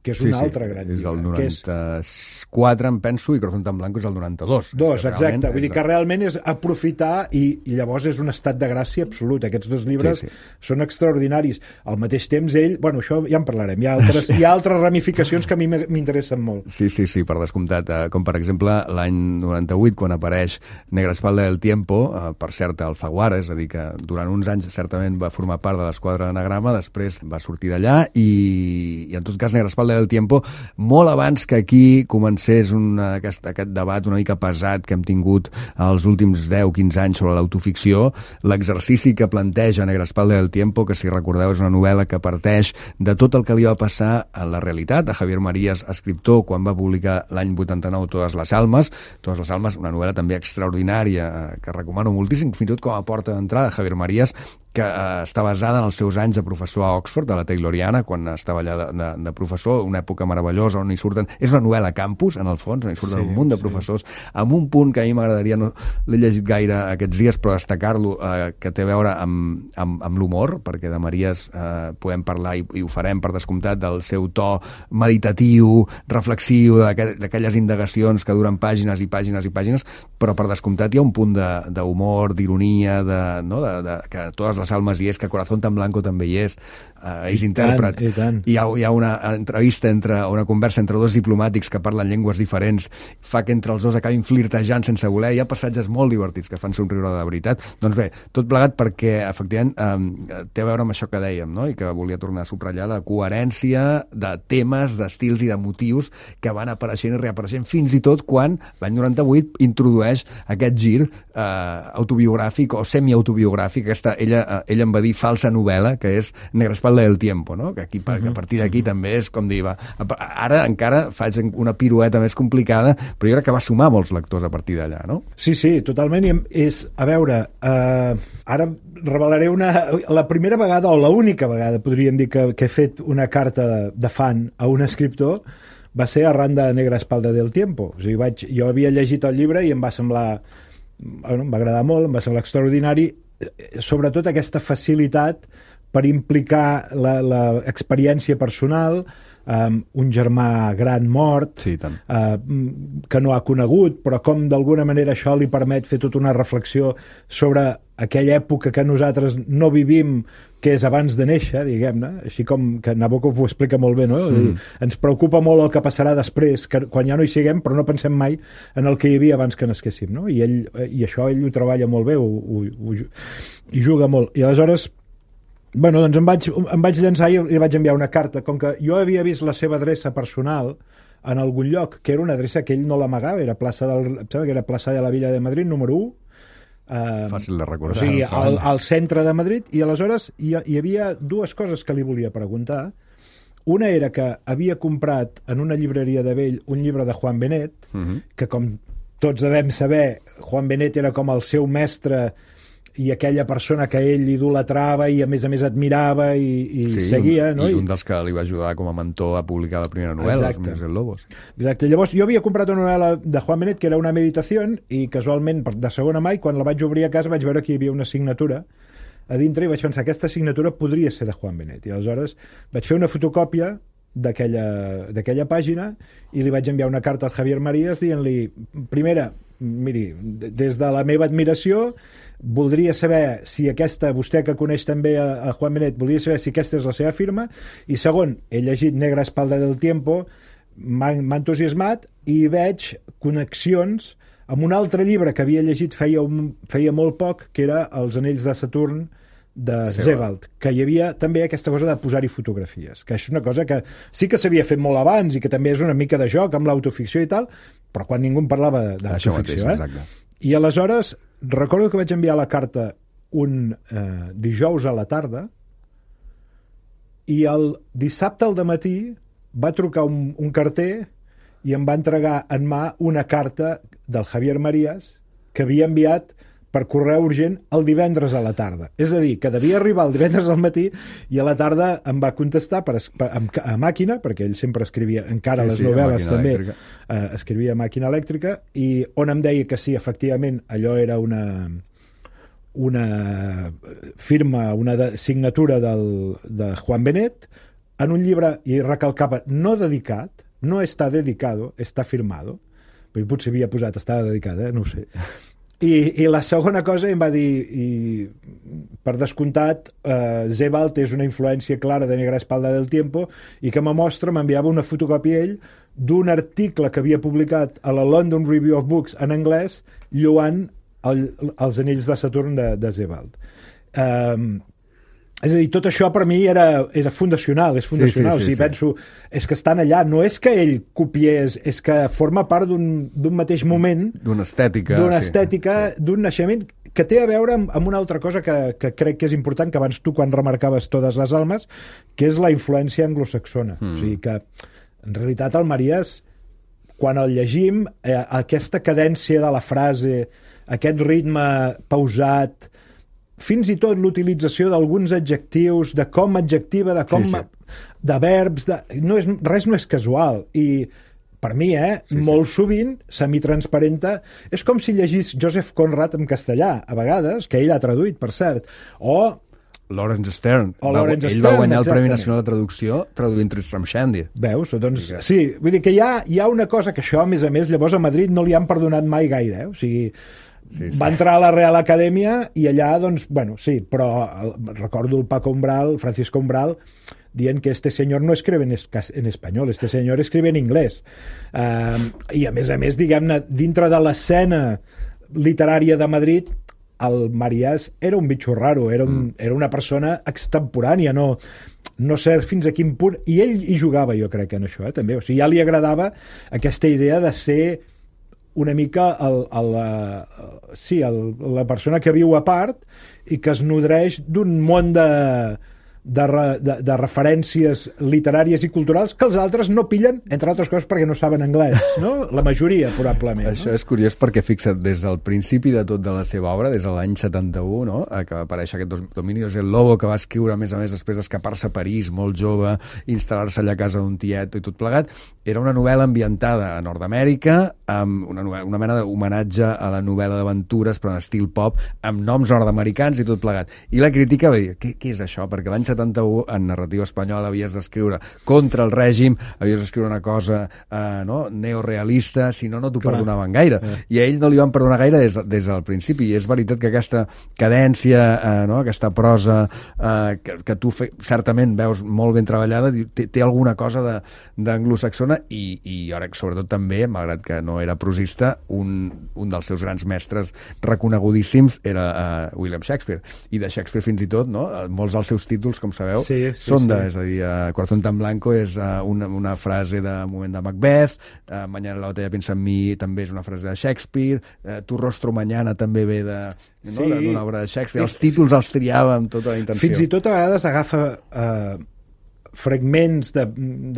que és un sí, altre sí, gran llibre. És el noranta-quatre, em penso, i Corazón tan Blanco és el noranta-dos. Dos, exacte. Vull dir que realment és aprofitar i, i llavors és un estat de gràcia absolut. Aquests dos llibres sí, sí. són extraordinaris. Al mateix temps ell... Bueno, això ja en parlarem. Hi ha altres, sí. hi ha altres ramificacions que a mi m'interessen molt. Sí, sí, sí, per descomptat. Com per exemple l'any noranta-vuit, quan apareix Negra espalda del tiempo, per cert, el Alfaguara, és a dir, que durant uns anys certament va formar part de l'esquadra d'Anagrama, després va sortir d'allà i, i en tot cas Negra espalda del tiempo, molt abans que aquí comencés una, aquest, aquest debat una mica pesat que hem tingut els últims deu a quinze anys sobre l'autoficció, l'exercici que planteja Negra espalda del tiempo, que si recordeu és una novel·la que parteix de tot el que li va passar a la realitat, a Javier Marías, escriptor, quan va publicar l'any vuitanta-nou Todas las almas, Todas las almas, una novel·la també extraordinària, que recomano moltíssim, fins i tot com a porta d'entrada, Javier Marías, que eh, està basada en els seus anys de professor a Oxford, a la Tayloriana, quan estava allà de, de, de professor, una època meravellosa on hi surten... És una novel·la campus, en el fons, on hi surten sí, un munt de professors, sí. amb un punt que a mi m'agradaria, no l'he llegit gaire aquests dies, però destacar-lo, eh, que té a veure amb, amb, amb l'humor, perquè de Marías eh, podem parlar, i, i ho farem per descomptat, del seu to meditatiu, reflexiu, d'aquelles indagacions que duren pàgines i pàgines i pàgines, però per descomptat hi ha un punt d'humor, d'ironia, de, no, de, de, que totes Las Almas hi és, que Corazón tan Blanco també hi és, uh, és I intèrpret. tant, i tant. Hi ha, hi ha una entrevista, entre una conversa entre dos diplomàtics que parlen llengües diferents, fa que entre els dos acabin flirtejant sense voler. Hi ha passatges molt divertits que fan somriure de veritat. Doncs bé, tot plegat perquè, efectivament, eh, té a veure amb això que dèiem, no? I que volia tornar a subratllar, la coherència de temes, d'estils i de motius que van apareixent i reapareixent, fins i tot quan l'any noranta-vuit introdueix aquest gir eh, autobiogràfic o semiautobiogràfic, aquesta, ella, eh, ella em va dir falsa novel·la, que és Negra espalda del tiempo, no? Que, aquí, uh -huh. que a partir d'aquí també és com dir, va, ara encara faig una pirueta més complicada, però jo crec que va sumar molts lectors a partir d'allà, no? Sí, sí, totalment. I és, a veure, eh, ara revelaré una, la primera vegada, o l'única vegada, podríem dir, que, que he fet una carta de, de fan a un escriptor, va ser arran de Negra espalda del tiempo. O sigui, vaig, jo havia llegit el llibre i em va semblar, bueno, em va agradar molt, em va semblar extraordinari, sobretot aquesta facilitat per implicar l'experiència personal, um, un germà gran mort, sí, tant. Uh, que no ha conegut, però com d'alguna manera això li permet fer tota una reflexió sobre aquella època que nosaltres no vivim, que és abans de néixer, diguem-ne, així com que Nabokov ho explica molt bé, no? Mm. Dir, ens preocupa molt el que passarà després, que, quan ja no hi siguem, però no pensem mai en el que hi havia abans que nasquéssim, no? I, ell, i això ell ho treballa molt bé, ho, ho, ho, hi juga molt. I aleshores, bueno, doncs em vaig, em vaig llançar i li vaig enviar una carta, com que jo havia vist la seva adreça personal en algun lloc, que era una adreça que ell no l'amagava, era plaça del, em sembla que era plaça de la Villa de Madrid, número u, Uh, fàcil de recordar. O sigui, al, al centre de Madrid, i aleshores hi, hi havia dues coses que li volia preguntar. Una era que havia comprat en una llibreria de vell un llibre de Juan Benet, uh-huh. que com tots devem saber, Juan Benet era com el seu mestre i aquella persona que ell idolatrava i a més a més admirava i, i sí, seguia, no? I un dels que li va ajudar com a mentor a publicar la primera novel·la, Els Hombres del Lobos. Exacte. Llavors jo havia comprat una novel·la de Juan Benet que era una meditació i casualment de segona mà, i quan la vaig obrir a casa vaig veure que hi havia una signatura a dintre i vaig pensar que aquesta signatura podria ser de Juan Benet, i aleshores vaig fer una fotocòpia d'aquella pàgina i li vaig enviar una carta al Javier Marías dient-li, primera, miri, des de la meva admiració voldria saber si aquesta, vostè que coneix també a, a Juan Benet, voldria saber si aquesta és la seva firma, i segon, he llegit Negra espalda del tiempo, m'ha entusiasmat i veig connexions amb un altre llibre que havia llegit feia, un, feia molt poc, que era Els anells de Saturn de Sebald, que hi havia també aquesta cosa de posar-hi fotografies, que és una cosa que sí que s'havia fet molt abans i que també és una mica de joc amb l'autoficció i tal, però quan ningú en parlava d'autoficció. Eh? I aleshores recordo que vaig enviar la carta un eh, dijous a la tarda i el dissabte al dematí va trucar un, un carter i em va entregar en mà una carta del Javier Marías que havia enviat per correu urgent el divendres a la tarda. És a dir, que devia arribar el divendres al matí i a la tarda em va contestar per, per, a, a màquina, perquè ell sempre escrivia, encara sí, les sí, novel·les també, eh, escrivia a màquina elèctrica, i on em deia que sí, efectivament, allò era una una firma, una de, signatura del, de Juan Benet, en un llibre, i recalcava, no dedicat, no està dedicado, està firmado. Però potser havia posat, està dedicada, eh? No ho sé. I, I la segona cosa em va dir, i, per descomptat, eh, Sebald és una influència clara de Negra espalda del tiempo, i que me mostra, m'enviava una fotocòpia ell d'un article que havia publicat a la London Review of Books en anglès, lloant el, els anells de Saturn de, de Sebald. Um, és a dir, tot això per mi era, era fundacional, és fundacional. Sí, sí, sí, o sigui, sí. Penso, és que estan allà, no és que ell copiés, és que forma part d'un mateix moment, d'una estètica, d'una estètica, sí, sí. d'un naixement que té a veure amb, amb una altra cosa que, que crec que és important, que abans tu quan remarcaves Totes les almes, que és la influència anglosaxona. Mm. O sigui que, en realitat, el Marías, quan el llegim, eh, aquesta cadència de la frase, aquest ritme pausat, fins i tot l'utilització d'alguns adjectius, de com adjectiva, de com... Sí, sí. de verbs, de, no és, res no és casual. I per mi, eh, sí, molt sí. sovint, semitransparenta, és com si llegís Joseph Conrad en castellà, a vegades, que ell ha traduït, per cert, o... Lawrence Stern. O Lawrence ell Stern, va guanyar el exactament. Premi Nacional de Traducció traduint Tristram Shandy. Veus? Doncs, sí, vull dir que hi ha, hi ha una cosa que això, a més a més, llavors a Madrid no li han perdonat mai gaire, eh? O sigui, Sí, sí. Va entrar a la Real Acadèmia i allà, doncs, bueno, sí, però el, recordo el Paco Umbral, Francisco Umbral, dient que este senyor no escribe en, es, en espanyol, este senyor escribe en anglès. Uh, I a més a més, diguem-ne, dintre de l'escena literària de Madrid, el Marías era un bitxo raro, era, un, mm. era una persona extemporània, no, no sé fins a quin punt, i ell hi jugava, jo crec, en això, eh, també. O sigui, ja li agradava aquesta idea de ser una mica el, el, el, sí, el, la persona que viu a part i que es nodreix d'un món de, de, de, de referències literàries i culturals que els altres no pillen, entre altres coses perquè no saben anglès, no? La majoria, probablement. Això no? és curiós perquè, fixa't, des del principi de tot de la seva obra, des de l'any setanta-u, no? Que va aparèixer aquest Dominios el Lobo, que va escriure, a més a més, després d'escapar-se a París, molt jove, instal·lar-se allà a casa d'un tiet i tot plegat. Era una novel·la ambientada a Nord-Amèrica, amb una, novel·la, una mena d'homenatge a la novel·la d'aventures, però en estil pop, amb noms nord-americans i tot plegat. I la crítica va dir, què, què és això? Perquè l'any setanta-u, en narrativa espanyola, havies d'escriure contra el règim, havies d'escriure una cosa eh, no? neorealista, si no, no t'ho perdonaven gaire. Eh. I a ell no li van perdonar gaire des, des del principi. I és veritat que aquesta cadència, eh, no? aquesta prosa eh, que, que tu fe, certament veus molt ben treballada, té, té alguna cosa d'anglosaxona i, i ara, sobretot també, malgrat que no era prosista, un, un dels seus grans mestres reconegudíssims era eh, William Shakespeare. I de Shakespeare fins i tot, no? Molts dels seus títols, com sabeu, sí, sí, són de, sí. és a dir, uh, Corazón tan blanco és uh, una, una frase de moment de Macbeth, uh, Mañana la batalla piensa en mi també és una frase de Shakespeare, uh, Tu rostro mañana també ve de no? Sí. d'una obra de Shakespeare. Els títols els triava amb tota la intenció. Fins i tot a vegades agafa eh, fragments de,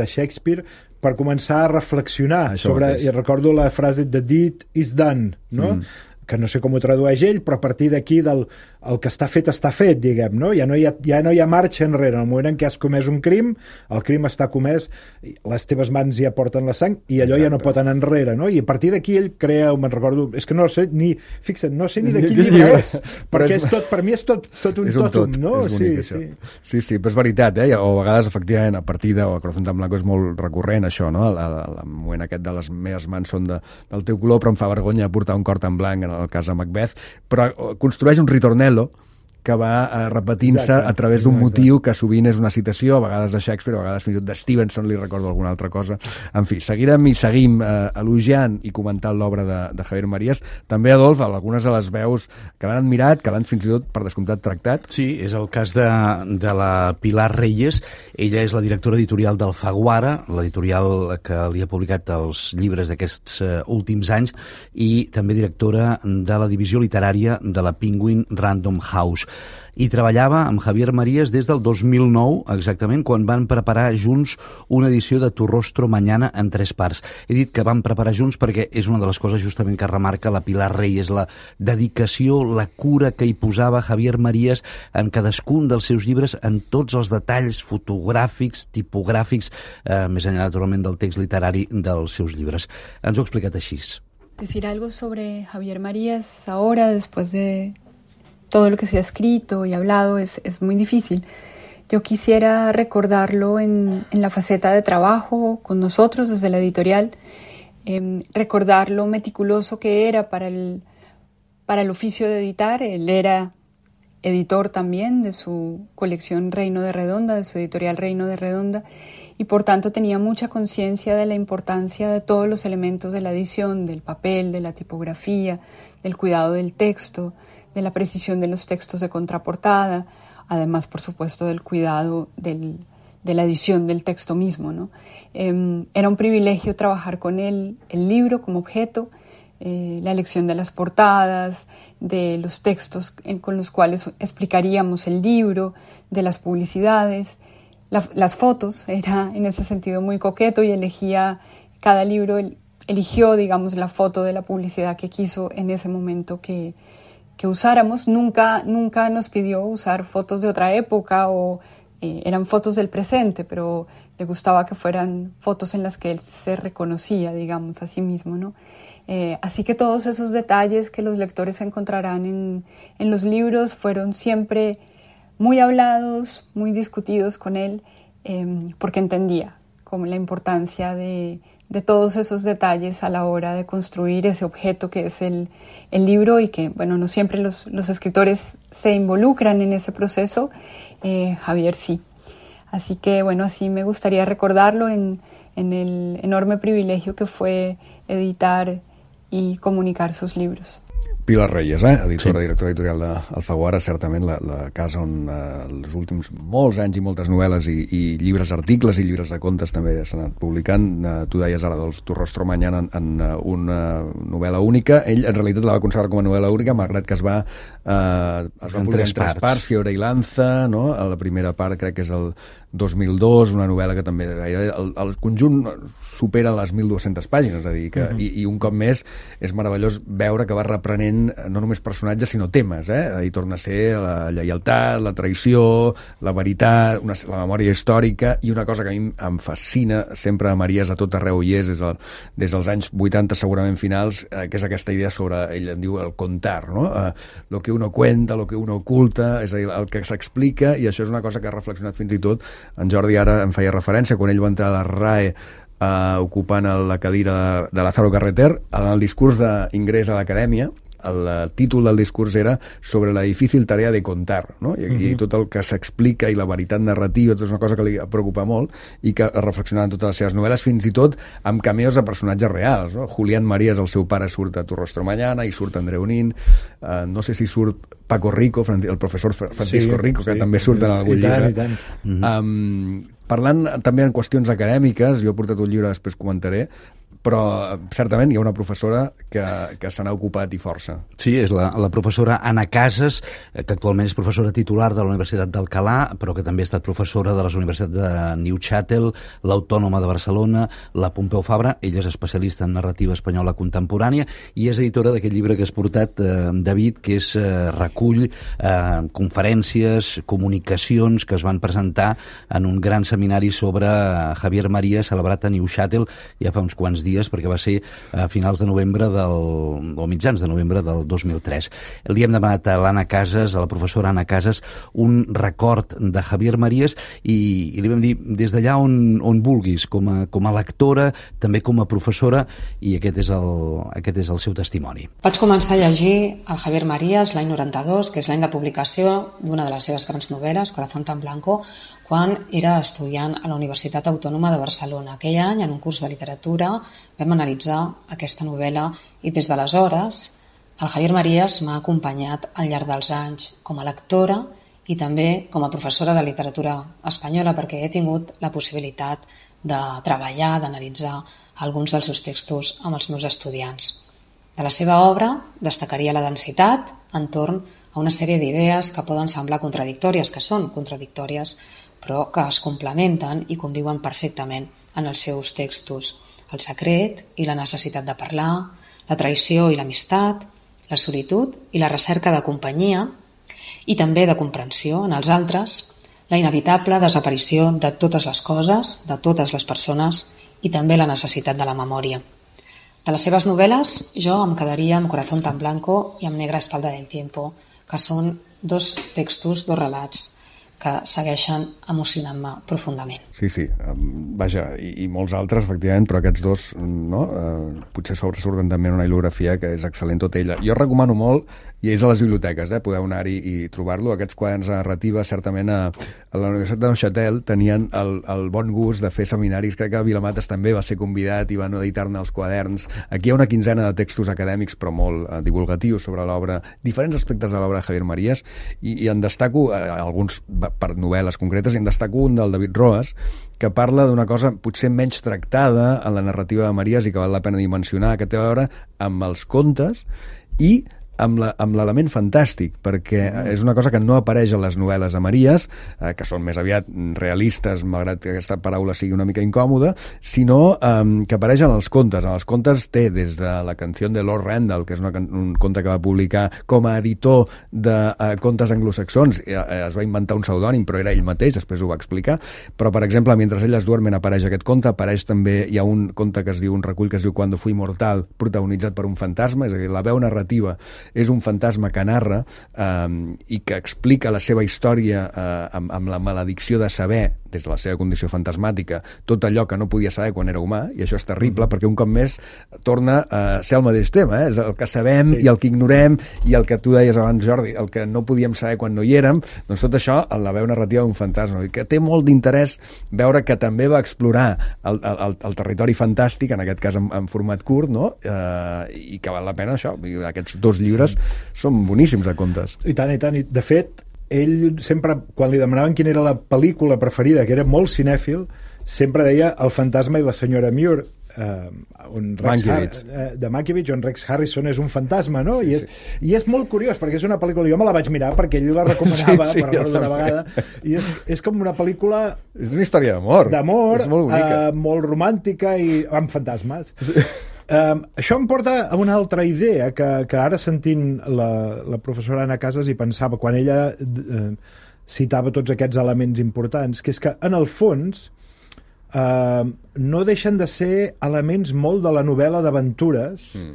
de Shakespeare per començar a reflexionar Això sobre, mateix. I recordo la frase The deed is done, no? Mm. que no sé com ho tradueix ell, però a partir d'aquí del el que està fet, està fet, diguem, no? Ja no hi ha, ja no hi ha marxa enrere. En el moment en què has comès un crim, el crim està comès, les teves mans ja porten la sang i allò Exacte. Ja no pot anar enrere, no? I a partir d'aquí ell crea, me'n recordo, és que no sé ni, fixa't, no sé ni de quin llibre és, perquè és tot, per mi és tot, tot un, és un totum, tot, no? És bonic, sí, sí. sí, sí, però és veritat, eh? O a vegades, efectivament, a partir de Corazón tan blanco és molt recurrent, això, no? El, el, el moment aquest de les meves mans són de, del teu color, però em fa vergonya portar un cor tan blanc, en el cas de Macbeth, però construeix un ritornello que va uh, repetint-se a través d'un motiu que sovint és una citació, a vegades de Shakespeare, a vegades fins i tot de Stevenson, li recordo alguna altra cosa. En fi, seguirem i seguim uh, elogiant i comentant l'obra de, de Javier Marías. També, Adolf, algunes de les veus que l'han admirat, que l'han fins i tot, per descomptat, tractat. Sí, és el cas de, de la Pilar Reyes. Ella és la directora editorial d'Alfaguara, l'editorial que li ha publicat els llibres d'aquests uh, últims anys, i també directora de la divisió literària de la Penguin Random House. I treballava amb Javier Marías des del dos mil nou, exactament, quan van preparar junts una edició de Tu rostro mañana en tres parts. He dit que van preparar junts perquè és una de les coses justament que remarca la Pilar Reyes, la dedicació, la cura que hi posava Javier Marías en cadascun dels seus llibres, en tots els detalls fotogràfics, tipogràfics, eh, més enllà, naturalment, del text literari dels seus llibres. Ens ho ha explicat així. Decir algo sobre Javier Marías ahora, después de todo lo que se ha escrito y hablado, es, es muy difícil. Yo quisiera recordarlo en, en la faceta de trabajo con nosotros desde la editorial, eh, recordar lo meticuloso que era para el, para el oficio de editar. Él era editor también de su colección Reino de Redonda, de su editorial Reino de Redonda, y por tanto tenía mucha conciencia de la importancia de todos los elementos de la edición, del papel, de la tipografía, del cuidado del texto, de la precisión de los textos de contraportada, además, por supuesto, del cuidado del, de la edición del texto mismo, ¿no? Eh, era un privilegio trabajar con él, el libro como objeto, eh, la elección de las portadas, de los textos en, con los cuales explicaríamos el libro, de las publicidades, la, las fotos. Era en ese sentido muy coqueto y elegía cada libro, el, eligió, digamos, la foto de la publicidad que quiso en ese momento que que usáramos. Nunca, nunca nos pidió usar fotos de otra época o eh, eran fotos del presente, pero le gustaba que fueran fotos en las que él se reconocía, digamos, a sí mismo, ¿no? Eh, así que todos esos detalles que los lectores encontrarán en, en los libros fueron siempre muy hablados, muy discutidos con él, eh, porque entendía como la importancia de, de todos esos detalles a la hora de construir ese objeto que es el, el libro y que, bueno, no siempre los, los escritores se involucran en ese proceso. Eh, Javier sí. Así que, bueno, así me gustaría recordarlo en, en el enorme privilegio que fue editar y comunicar sus libros. Pilar Reyes, eh? editora, sí. directora editorial d'Alfaguara, certament la, la casa on eh, els últims molts anys i moltes novel·les i, i llibres, articles i llibres de contes també s'han anat publicant. Eh, tu deies ara del Tu rostro mañana en, en uh, una novel·la única. Ell en realitat la va considerar com a novel·la única, malgrat que es va, eh, es va en publicar tres en tres parts. parts, Fiore i Lanza, no? A la primera part crec que és el dos mil dos, una novel·la que també el, el conjunt supera les mil dues-centes pàgines, és a dir, que, uh-huh. i, i un cop més és meravellós veure que va reprenent no només personatges sinó temes, eh? I torna a ser la lleialtat, la traïció, la veritat, una, la memòria històrica, i una cosa que a mi em fascina sempre a Maries a tot arreu i és des, del, des dels anys vuitanta segurament finals, eh, que és aquesta idea sobre, ell en diu el contar, no? Eh, lo que uno cuenta, lo que uno oculta, és a dir, el que s'explica, i això és una cosa que ha reflexionat fins i tot en Jordi ara em feia referència, quan ell va entrar a la R A E eh, ocupant la cadira de, de Lázaro Carreter, en el discurs d'ingrés a l'acadèmia, el títol del discurs era sobre la difícil tarea de contar, no? I, uh-huh. i tot el que s'explica i la veritat narrativa, tot és una cosa que li preocupa molt i que ha reflexionat en totes les seves novel·les, fins i tot amb cameos de personatges reals, no? Julián Marías, el seu pare, surt a Tu rostro mañana, i surt Andreu Nin, uh, no sé si surt Paco Rico, el professor Francisco sí, Rico, que sí, també surt en algun i tant, llibre. I tant. Uh-huh. Um, parlant també en qüestions acadèmiques, jo he portat un llibre, després comentaré, però certament hi ha una professora que, que se n'ha ocupat i força. Sí, és la, la professora Anna Casas, que actualment és professora titular de la Universitat d'Alcalà, però que també ha estat professora de les universitats de Neuchâtel, l'Autònoma de Barcelona, la Pompeu Fabra. Ella és especialista en narrativa espanyola contemporània i és editora d'aquest llibre que has portat, eh, David, que és eh, recull eh, conferències, comunicacions que es van presentar en un gran seminari sobre Javier Marías, celebrat a Neuchâtel ja fa uns quants dies, perquè va ser a finals de novembre del, o mitjans de novembre del dos mil tres. Li hem demanat a l'Anna Casas, a la professora Anna Casas, un record de Javier Marías i, i li vam dir des d'allà on, on vulguis, com a, com a lectora, també com a professora, i aquest és el, aquest és el seu testimoni. Vaig començar a llegir el Javier Marías l'any noranta-dos, que és l'any de publicació d'una de les seves grans novel·les, Corazón tan blanco, quan era estudiant a la Universitat Autònoma de Barcelona. Aquell any, en un curs de literatura, vam analitzar aquesta novel·la i des d'aleshores el Javier Marías m'ha acompanyat al llarg dels anys com a lectora i també com a professora de literatura espanyola, perquè he tingut la possibilitat de treballar, d'analitzar alguns dels seus textos amb els meus estudiants. De la seva obra destacaria la densitat entorn a una sèrie d'idees que poden semblar contradictòries, que són contradictòries, però que es complementen i conviuen perfectament en els seus textos. El secret i la necessitat de parlar, la traïció i l'amistat, la solitud i la recerca de companyia i també de comprensió en els altres, la inevitable desaparició de totes les coses, de totes les persones i també la necessitat de la memòria. De les seves novel·les, jo em quedaria amb Corazón tan blanco i amb Negra espalda del tiempo, que són dos textos, dos relats que segueixen emocionant-me profundament. Sí, sí, vaja, i, i molts altres, efectivament, però aquests dos, no? Eh, potser sobresurten també en una il·lografia que és excel·lent tota ella. Jo recomano molt, i és a les biblioteques, eh? Podeu anar-hi i trobar-lo, aquests quaderns de narrativa, certament a, a la Universitat de Neuchâtel tenien el, el bon gust de fer seminaris, crec que a Vilamates també va ser convidat i van editar-ne els quaderns. Aquí hi ha una quinzena de textos acadèmics, però molt eh, divulgatius sobre l'obra, diferents aspectes de l'obra de Javier Marías, i, i en destaco eh, alguns per novel·les concretes, i en destaco un del David Roas, que parla d'una cosa potser menys tractada en la narrativa de Marías i que val la pena dimensionar, que té a veure amb els contes i amb l'element fantàstic, perquè és una cosa que no apareix a les novel·les de Marías, eh, que són més aviat realistes, malgrat que aquesta paraula sigui una mica incòmoda, sinó eh, que apareix en els contes. En els contes té des de la canció de Lord Randall, que és una, un conte que va publicar com a editor de eh, contes anglosaxons, eh, es va inventar un pseudònim, però era ell mateix, després ho va explicar, però, per exemple, Mentre elles duermen apareix aquest conte, apareix també, hi ha un conte que es diu, un recull que es diu Cuando fui mortal, protagonitzat per un fantasma, és a dir, la veu narrativa és un fantasma que narra eh, i que explica la seva història eh, amb, amb la maledicció de saber, des de la seva condició fantasmàtica, tot allò que no podia saber quan era humà, i això és terrible, perquè un cop més torna a ser el mateix tema, eh? És el que sabem sí. i el que ignorem, i el que tu deies abans, Jordi, el que no podíem saber quan no hi érem, doncs tot això en la veu narrativa d'un fantasma, i que té molt d'interès veure que també va explorar el, el, el territori fantàstic, en aquest cas en, en format curt, no? Eh, i que val la pena això. Aquests dos llibres sí. són boníssims de contes. I tant, i tant. I de fet, ell sempre, quan li demanaven quina era la pel·lícula preferida, que era molt cinèfil, sempre deia El fantasma i la senyora Muir, eh, on Rex Har- eh, de Mankiewicz, on Rex Harrison és un fantasma, no? Sí, I, és, sí. I és molt curiós, perquè és una pel·lícula, jo me la vaig mirar perquè ell la recomanava, sí, sí, per recordo una vegada, i és, és com una pel·lícula... És una història d'amor. D'amor, molt, eh, molt romàntica i amb fantasmes. Sí. Um, això em porta a una altra idea que, que ara sentint la, la professora Anna Casas i pensava quan ella eh, citava tots aquests elements importants, que és que en el fons eh, no deixen de ser elements molt de la novel·la d'aventures mm.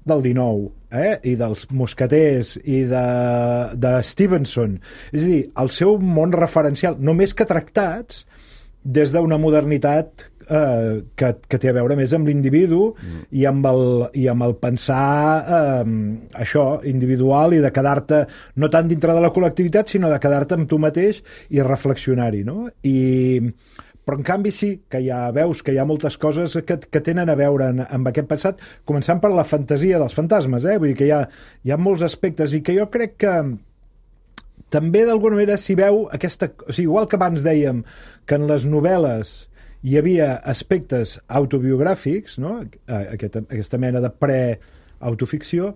del dinou, eh? I dels mosqueters i de, de Stevenson, és a dir, el seu món referencial, només que tractats des d'una modernitat eh, que, que té a veure més amb l'individu mm. i, amb el, i amb el pensar eh, això, individual, i de quedar-te no tant dintre de la col·lectivitat, sinó de quedar-te amb tu mateix i reflexionar-hi, no? I, però en canvi sí, que ja veus que hi ha moltes coses que, que tenen a veure en, amb aquest passat, començant per la fantasia dels fantasmes, eh? Vull dir que hi ha, hi ha molts aspectes, i que jo crec que també d'alguna manera s'hi veu aquesta... O sigui, igual que abans dèiem que en les novel·les hi havia aspectes autobiogràfics, no? Aquesta, aquesta mena de pre-autoficció,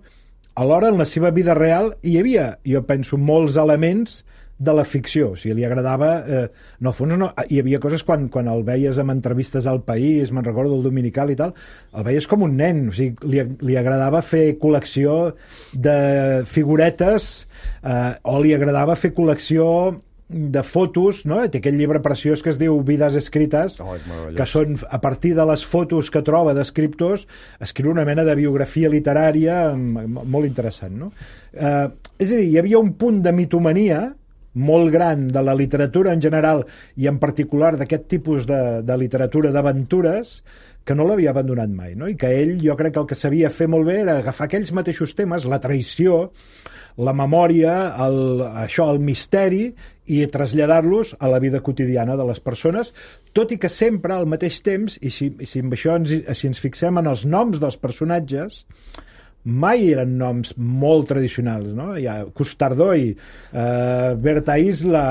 alhora en la seva vida real hi havia, jo penso, molts elements de la ficció. O sigui, li agradava... Eh, en el fons no, hi havia coses quan, quan el veies en entrevistes al País, me'n recordo del Dominical i tal, el veies com un nen. O sigui, li, li agradava fer col·lecció de figuretes eh, o li agradava fer col·lecció de fotos, no? Té aquell llibre preciós que es diu Vides escrites, oh, que són, a partir de les fotos que troba d'escriptors, escriu una mena de biografia literària molt interessant, no? Eh, és a dir, hi havia un punt de mitomania molt gran de la literatura en general, i en particular d'aquest tipus de, de literatura d'aventures, que no l'havia abandonat mai, no? I que ell, jo crec que el que sabia fer molt bé era agafar aquells mateixos temes, la traïció, la memòria, el, això, el misteri, i traslladar-los a la vida quotidiana de les persones, tot i que sempre al mateix temps, i si, i si amb això ens, si ens fixem en els noms dels personatges, mai eren noms molt tradicionals, no? Hi ha Custardoi, eh, Berta Isla,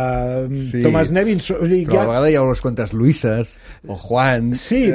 sí, Tomàs Nevin... Però ha... a vegades hi ha unes quantes Luises, o Juan... Sí,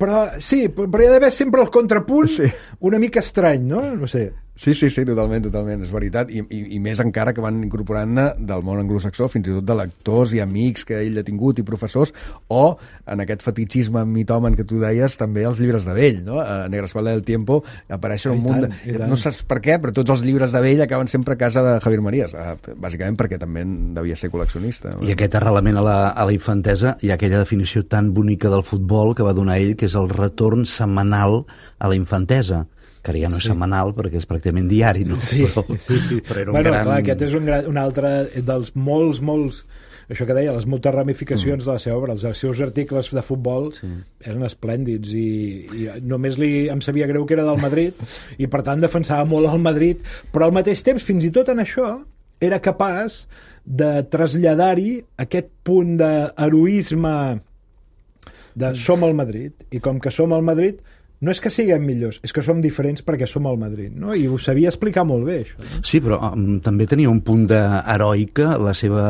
però, sí, però hi ha d'haver sempre el contrapunt sí. una mica estrany, no? No sé... Sí, sí, sí, totalment, totalment, és veritat, i, i, i més encara que van incorporant-ne del món anglosaxó, fins i tot de lectors i amics que ell ha tingut i professors, o en aquest fetichisme mitòman que tu deies, també els llibres de vell, no? A Negrespalda del Tiempo apareixen un munt de... No saps per què, però tots els llibres de vell acaben sempre a casa de Javier Marías, bàsicament perquè també devia ser col·leccionista. I aquest arrelament a la, a la infantesa, hi ha aquella definició tan bonica del futbol que va donar ell, que és el retorn setmanal a la infantesa, que ara ja no és sí. setmanal perquè és pràcticament diari, no? Sí, però, sí, sí. Però era un bueno, gran... clar, aquest és un, gran, un altre dels molts, molts, això que deia, les moltes ramificacions mm. de la seva obra. Els seus articles de futbol sí. eren esplèndids, i, i només li, em sabia greu que era del Madrid, i per tant defensava molt el Madrid, però al mateix temps, fins i tot en això, era capaç de traslladar-hi aquest punt d'heroisme de som el Madrid, i com que som el Madrid, no és que siguem millors, és que som diferents perquè som al Madrid, no? I ho sabia explicar molt bé, això. No? Sí, però um, també tenia un punt d'heroica la seva,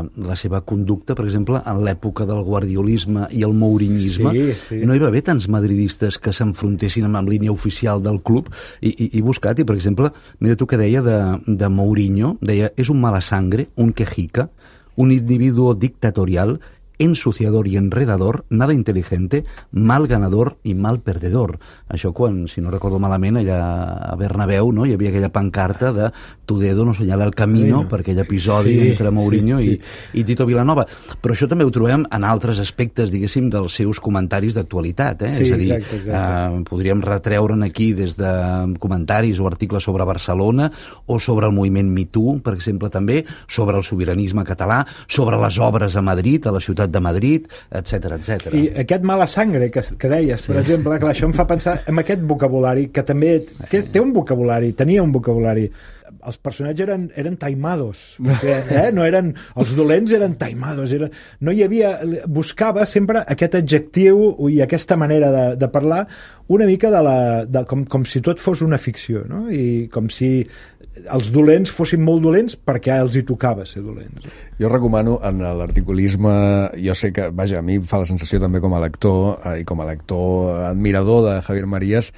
la seva conducta, per exemple, en l'època del guardiolisme i el mourinisme. Sí, sí. No hi va haver tants madridistes que s'enfrontessin amb, amb línia oficial del club, i, i, i buscat, i per exemple, mira tu que deia de, de Mourinho, deia, és un mala sangre, un quejica, un individuo dictatorial ensuciador y enredador, nada inteligente, mal ganador i mal perdedor. Això quan, si no recordo malament, allà a Bernabéu, no? Hi havia aquella pancarta de tu dedo no senyala el camino, sí, per aquell episodi sí, entre Mourinho sí, sí. I, i Tito Vilanova. Però això també ho trobem en altres aspectes, diguéssim, dels seus comentaris d'actualitat. Eh? Sí, és a dir, exacte, exacte. Eh, podríem retreure'n aquí des de comentaris o articles sobre Barcelona o sobre el moviment Me Too, per exemple, també, sobre el sobiranisme català, sobre les obres a Madrid, a la ciutat de Madrid, etcètera, etcètera. I aquest mala sangre que, que deies, per sí. exemple, clar, això em fa pensar en aquest vocabulari, que també que té un vocabulari, tenia un vocabulari. Els personatges eren, eren taimados, perquè, eh? no eren, els dolents eren taimados, eren, no hi havia, buscava sempre aquest adjectiu i aquesta manera de, de parlar una mica de la, de, com, com si tot fos una ficció, no? I com si els dolents fossin molt dolents perquè els hi tocava ser dolents. Jo recomano en l'articulisme, jo sé que, vaja, a mi fa la sensació també com a lector eh, i com a lector admirador de Javier Marías,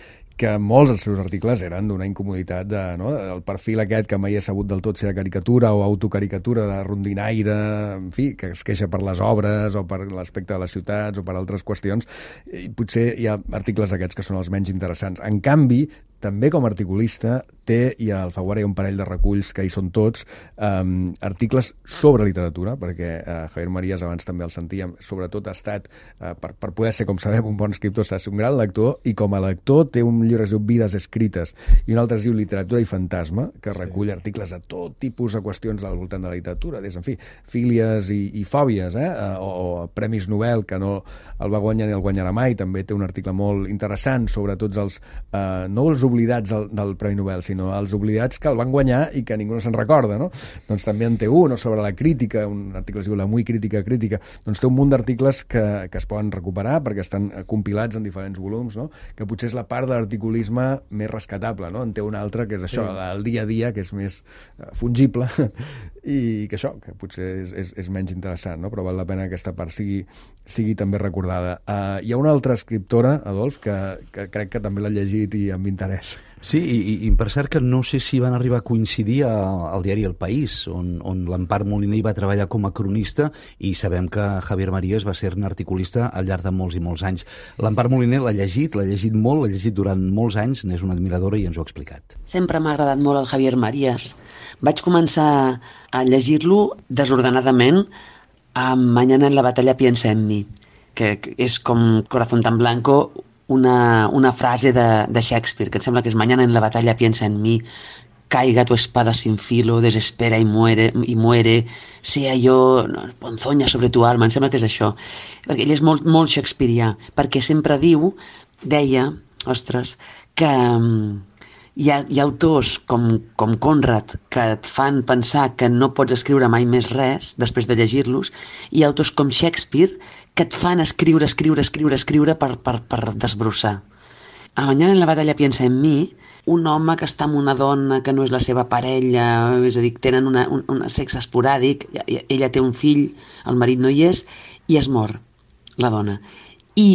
que molts dels seus articles eren d'una incomoditat de, no? El perfil aquest que mai he sabut del tot si era caricatura o autocaricatura de rondinaire, en fi, que es queixa per les obres o per l'aspecte de les ciutats o per altres qüestions, i potser hi ha articles aquests que són els menys interessants. En canvi, també com a articulista té, i al Faguara hi ha un parell de reculls que hi són tots, um, articles sobre literatura, perquè uh, Javier Marías, abans també el sentíem, sobretot ha estat, uh, per, per poder ser, com sabem, un bon escriptor, ha estat un gran lector, i com a lector té un llibre que es diu Vides escrites, i un altre es diu Literatura i fantasma, que recull sí. articles de tot tipus de qüestions al voltant de la literatura, des, en fi, fílies i, i fòbies, eh? uh, o, o premis Nobel, que no el va guanyar ni el guanyarà mai, també té un article molt interessant sobre tots els, uh, no els oblidats del, del Premi Nobel, sinó els oblidats que el van guanyar i que ningú no se'n recorda, no? Doncs també en té un, o sobre la crítica, un article es diu La muy crítica crítica, doncs té un munt d'articles que, que es poden recuperar perquè estan compilats en diferents volums, no? Que potser és la part de l'articulisme més rescatable, no? En té un altre que és això, sí. el dia a dia, que és més fungible i que això, que potser és, és, és menys interessant, no? Però val la pena que aquesta part sigui, sigui també recordada. Uh, hi ha una altra escriptora, Adolf, que, que crec que també l'ha llegit i amb interès. Sí, i, i per cert que no sé si van arribar a coincidir al, al diari El País, on, on l'Empar Moliner va treballar com a cronista, i sabem que Javier Marías va ser un articulista al llarg de molts i molts anys. L'Empar Moliner l'ha llegit, l'ha llegit molt, l'ha llegit durant molts anys, n'és una admiradora i ens ho ha explicat. Sempre m'ha agradat molt el Javier Marías. Vaig començar a llegir-lo desordenadament amb Mañana en la batalla piensa en mi, que és com Corazón tan blanco, una, una frase de, de Shakespeare, que em sembla que és Mañana en la batalla piensa en mi, caiga tu espada sin filo, desespera y muere, y muere sea yo no, ponzoña sobre tu alma, em sembla que és això. Perquè ell és molt, molt shakespearià, perquè sempre diu, deia, ostres, que hi ha, hi ha autors com, com Conrad que et fan pensar que no pots escriure mai més res després de llegir-los, i hi ha autors com Shakespeare que et fan escriure, escriure, escriure, escriure per, per, per desbrossar. A Mañana en la batalla piensa en mi, un home que està amb una dona que no és la seva parella, és a dir, tenen una, un, un sexe esporàdic, ella té un fill, el marit no hi és, i es mor, la dona. I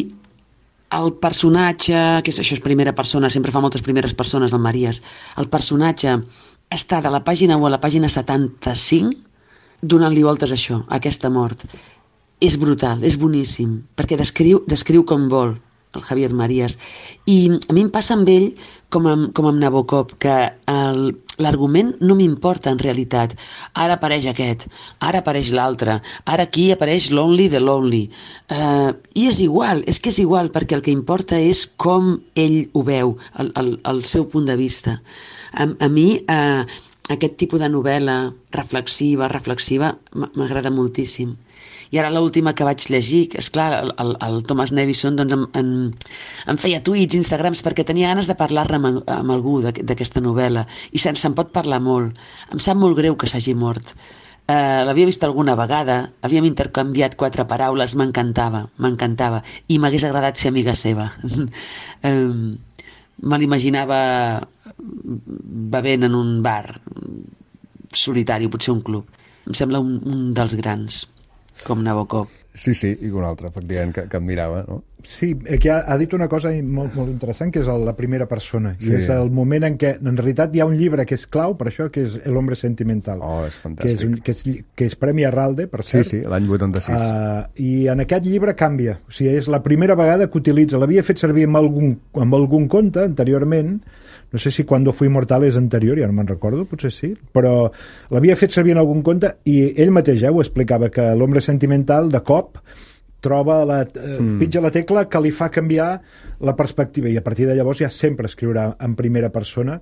el personatge, que és, això és primera persona, sempre fa moltes primeres persones, el Marías, el personatge està de la pàgina u a la pàgina setanta-cinc donant-li voltes a això, a aquesta mort. És brutal, és boníssim, perquè descriu, descriu com vol, el Javier Marías. I a mi em passa amb ell com amb, com amb Nabokov, que l'argument no m'importa en realitat. Ara apareix aquest, ara apareix l'altre, ara aquí apareix l'Only de l'Only. Uh, I és igual, és que és igual, perquè el que importa és com ell ho veu, el, el, el seu punt de vista. A, a mi uh, aquest tipus de novel·la reflexiva, reflexiva, m'agrada moltíssim. I ara l'última que vaig llegir, que és clar, el, el, el Thomas Nevison doncs, em, em, em feia tuits, Instagrams, perquè tenia ganes de parlar-ne amb, amb algú d'aquesta novel·la, i se'n se'n pot parlar molt. Em sap molt greu que s'hagi mort. Uh, l'havia vist alguna vegada, havíem intercanviat quatre paraules, m'encantava, m'encantava, i m'hagués agradat ser amiga seva. um, me l'imaginava bevent en un bar solitari, potser un club. Em sembla un, un dels grans, com Nabokov. Sí, sí, i un altre, efectivament, que, que em mirava, no? Sí, aquí ha, ha dit una cosa molt, molt interessant, que és el, la primera persona. Sí. I és el moment en què, en realitat, hi ha un llibre que és clau per això, que és El hombre sentimental. Oh, és fantàstic. Que és, un, que és, que és Premi Arralde, per cert. Sí, sí, l'any vuitanta-sis. Uh, I en aquest llibre canvia. O sigui, és la primera vegada que utilitza... L'havia fet servir amb algun, amb algun conte, anteriorment. No sé si Cuando fui mortal és anterior, ja no me'n recordo, potser sí, però l'havia fet servir en algun conte i ell mateix eh, ho explicava, que l'hombre sentimental, de cop, troba la, eh, mm. pitja la tecla que li fa canviar la perspectiva, i a partir de llavors ja sempre escriurà en primera persona,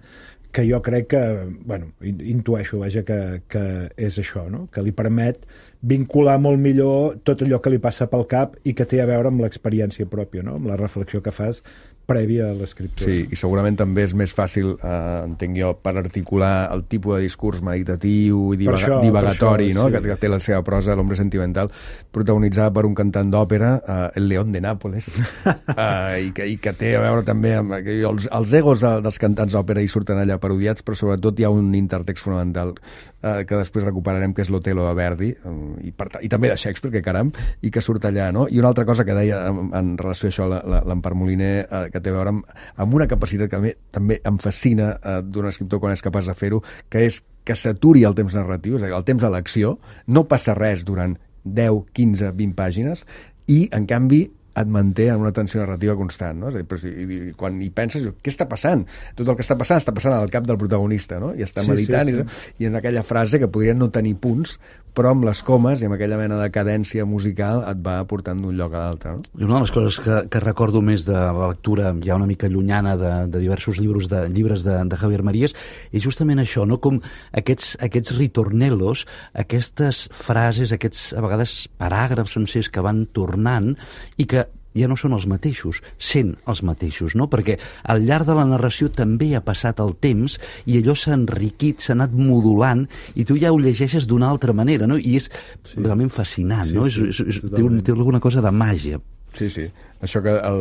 que jo crec que, bueno, intueixo, vaja, que, que és això, no? Que li permet vincular molt millor tot allò que li passa pel cap i que té a veure amb l'experiència pròpia, no? Amb la reflexió que fas prèvia a l'escriptura. Sí, i segurament també és més fàcil, eh, entenc jo, per articular el tipus de discurs meditatiu i divaga, això, divagatori, això, no? Sí, que, que té la seva prosa, L'hombre sentimental, protagonitzada per un cantant d'òpera, eh, el León de Nápoles, eh, i, que, i que té a veure també amb... Que els, els egos dels cantants d'òpera hi surten allà parodiats, però sobretot hi ha un intertext fonamental eh, que després recuperarem, que és l'Otelo de Verdi, eh, i, per, i també de Shakespeare, que caram, i que surt allà, no? I una altra cosa que deia en, en relació a això l'Empar Moliner, eh, que té a veure amb, amb una capacitat que a mi també em fascina eh, d'un escriptor quan és capaç de fer-ho, que és que s'aturi el temps narratiu, és a dir, el temps de l'acció, no passa res durant deu, quinze, vint pàgines, i, en canvi, et manté en una tensió narrativa constant, no? És a dir, però si, i, quan hi penses, què està passant? Tot el que està passant està passant al cap del protagonista, no? I està sí, meditant, sí, sí. I, i en aquella frase que podrien no tenir punts, però amb les comes i amb aquella mena de cadència musical et va portant d'un lloc a l'altre, no? I una de les coses que, que recordo més de la lectura ja una mica llunyana de, de diversos llibres de, llibres de, de Javier Marías és justament això, no? Com aquests, aquests ritornellos, aquestes frases, aquests a vegades paràgrafs sencers que van tornant i que ja no són els mateixos, sent els mateixos, no? Perquè al llarg de la narració també ha passat el temps i allò s'ha enriquit, s'ha anat modulant i tu ja ho llegeixes d'una altra manera, no? I és sí. realment fascinant, sí, no? Sí, és, és, té, un, té alguna cosa de màgia. Sí, sí. Això que el,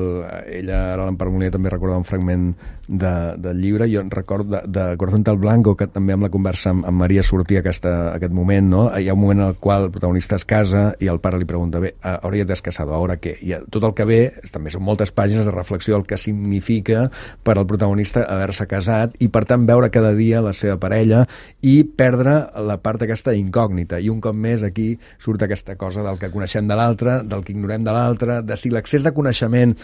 ella, ara l'Empar Moliner, també recorda un fragment de, del llibre. Jo recordo de, de Corazón tal Blanco, que també amb la conversa amb, amb Maria sortia aquesta, aquest moment, no? Hi ha un moment en el qual el protagonista es casa i el pare li pregunta, bé, ara ja t'has casat, ara què? I tot el que ve, també són moltes pàgines de reflexió del que significa per al protagonista haver-se casat i, per tant, veure cada dia la seva parella i perdre la part aquesta incògnita. I un cop més aquí surt aquesta cosa del que coneixem de l'altre, del que ignorem de l'altre, de si l'accés de coneixement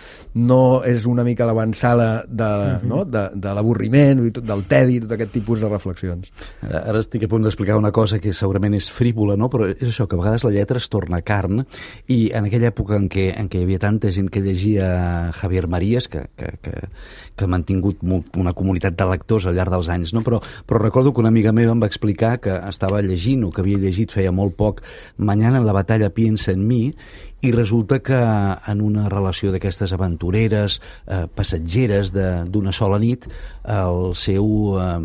no és una mica l'avançala de, mm-hmm. no? de, de l'avorriment, del tedi, tot aquest tipus de reflexions. Ara estic a punt d'explicar una cosa que segurament és frívola, no? Però és això, que a vegades la lletra es torna carn i en aquella època en què, en què hi havia tanta gent que llegia Javier Marías, que, que, que, que ha mantingut una comunitat de lectors al llarg dels anys, no? Però, però recordo que una amiga meva em va explicar que estava llegint o que havia llegit feia molt poc Mañana en la batalla piensa en mi, i resulta que en una relació d'aquestes aventureres, eh, passatgeres d'una sola nit, el seu, eh,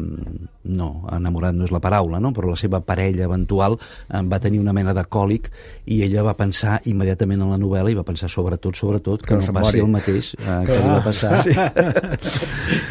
no, enamorat no és la paraula, no? Però la seva parella eventual eh, va tenir una mena de còlic i ella va pensar immediatament en la novel·la i va pensar sobretot, sobretot, que, que no, no passi el mateix eh, que li va passar. Sí.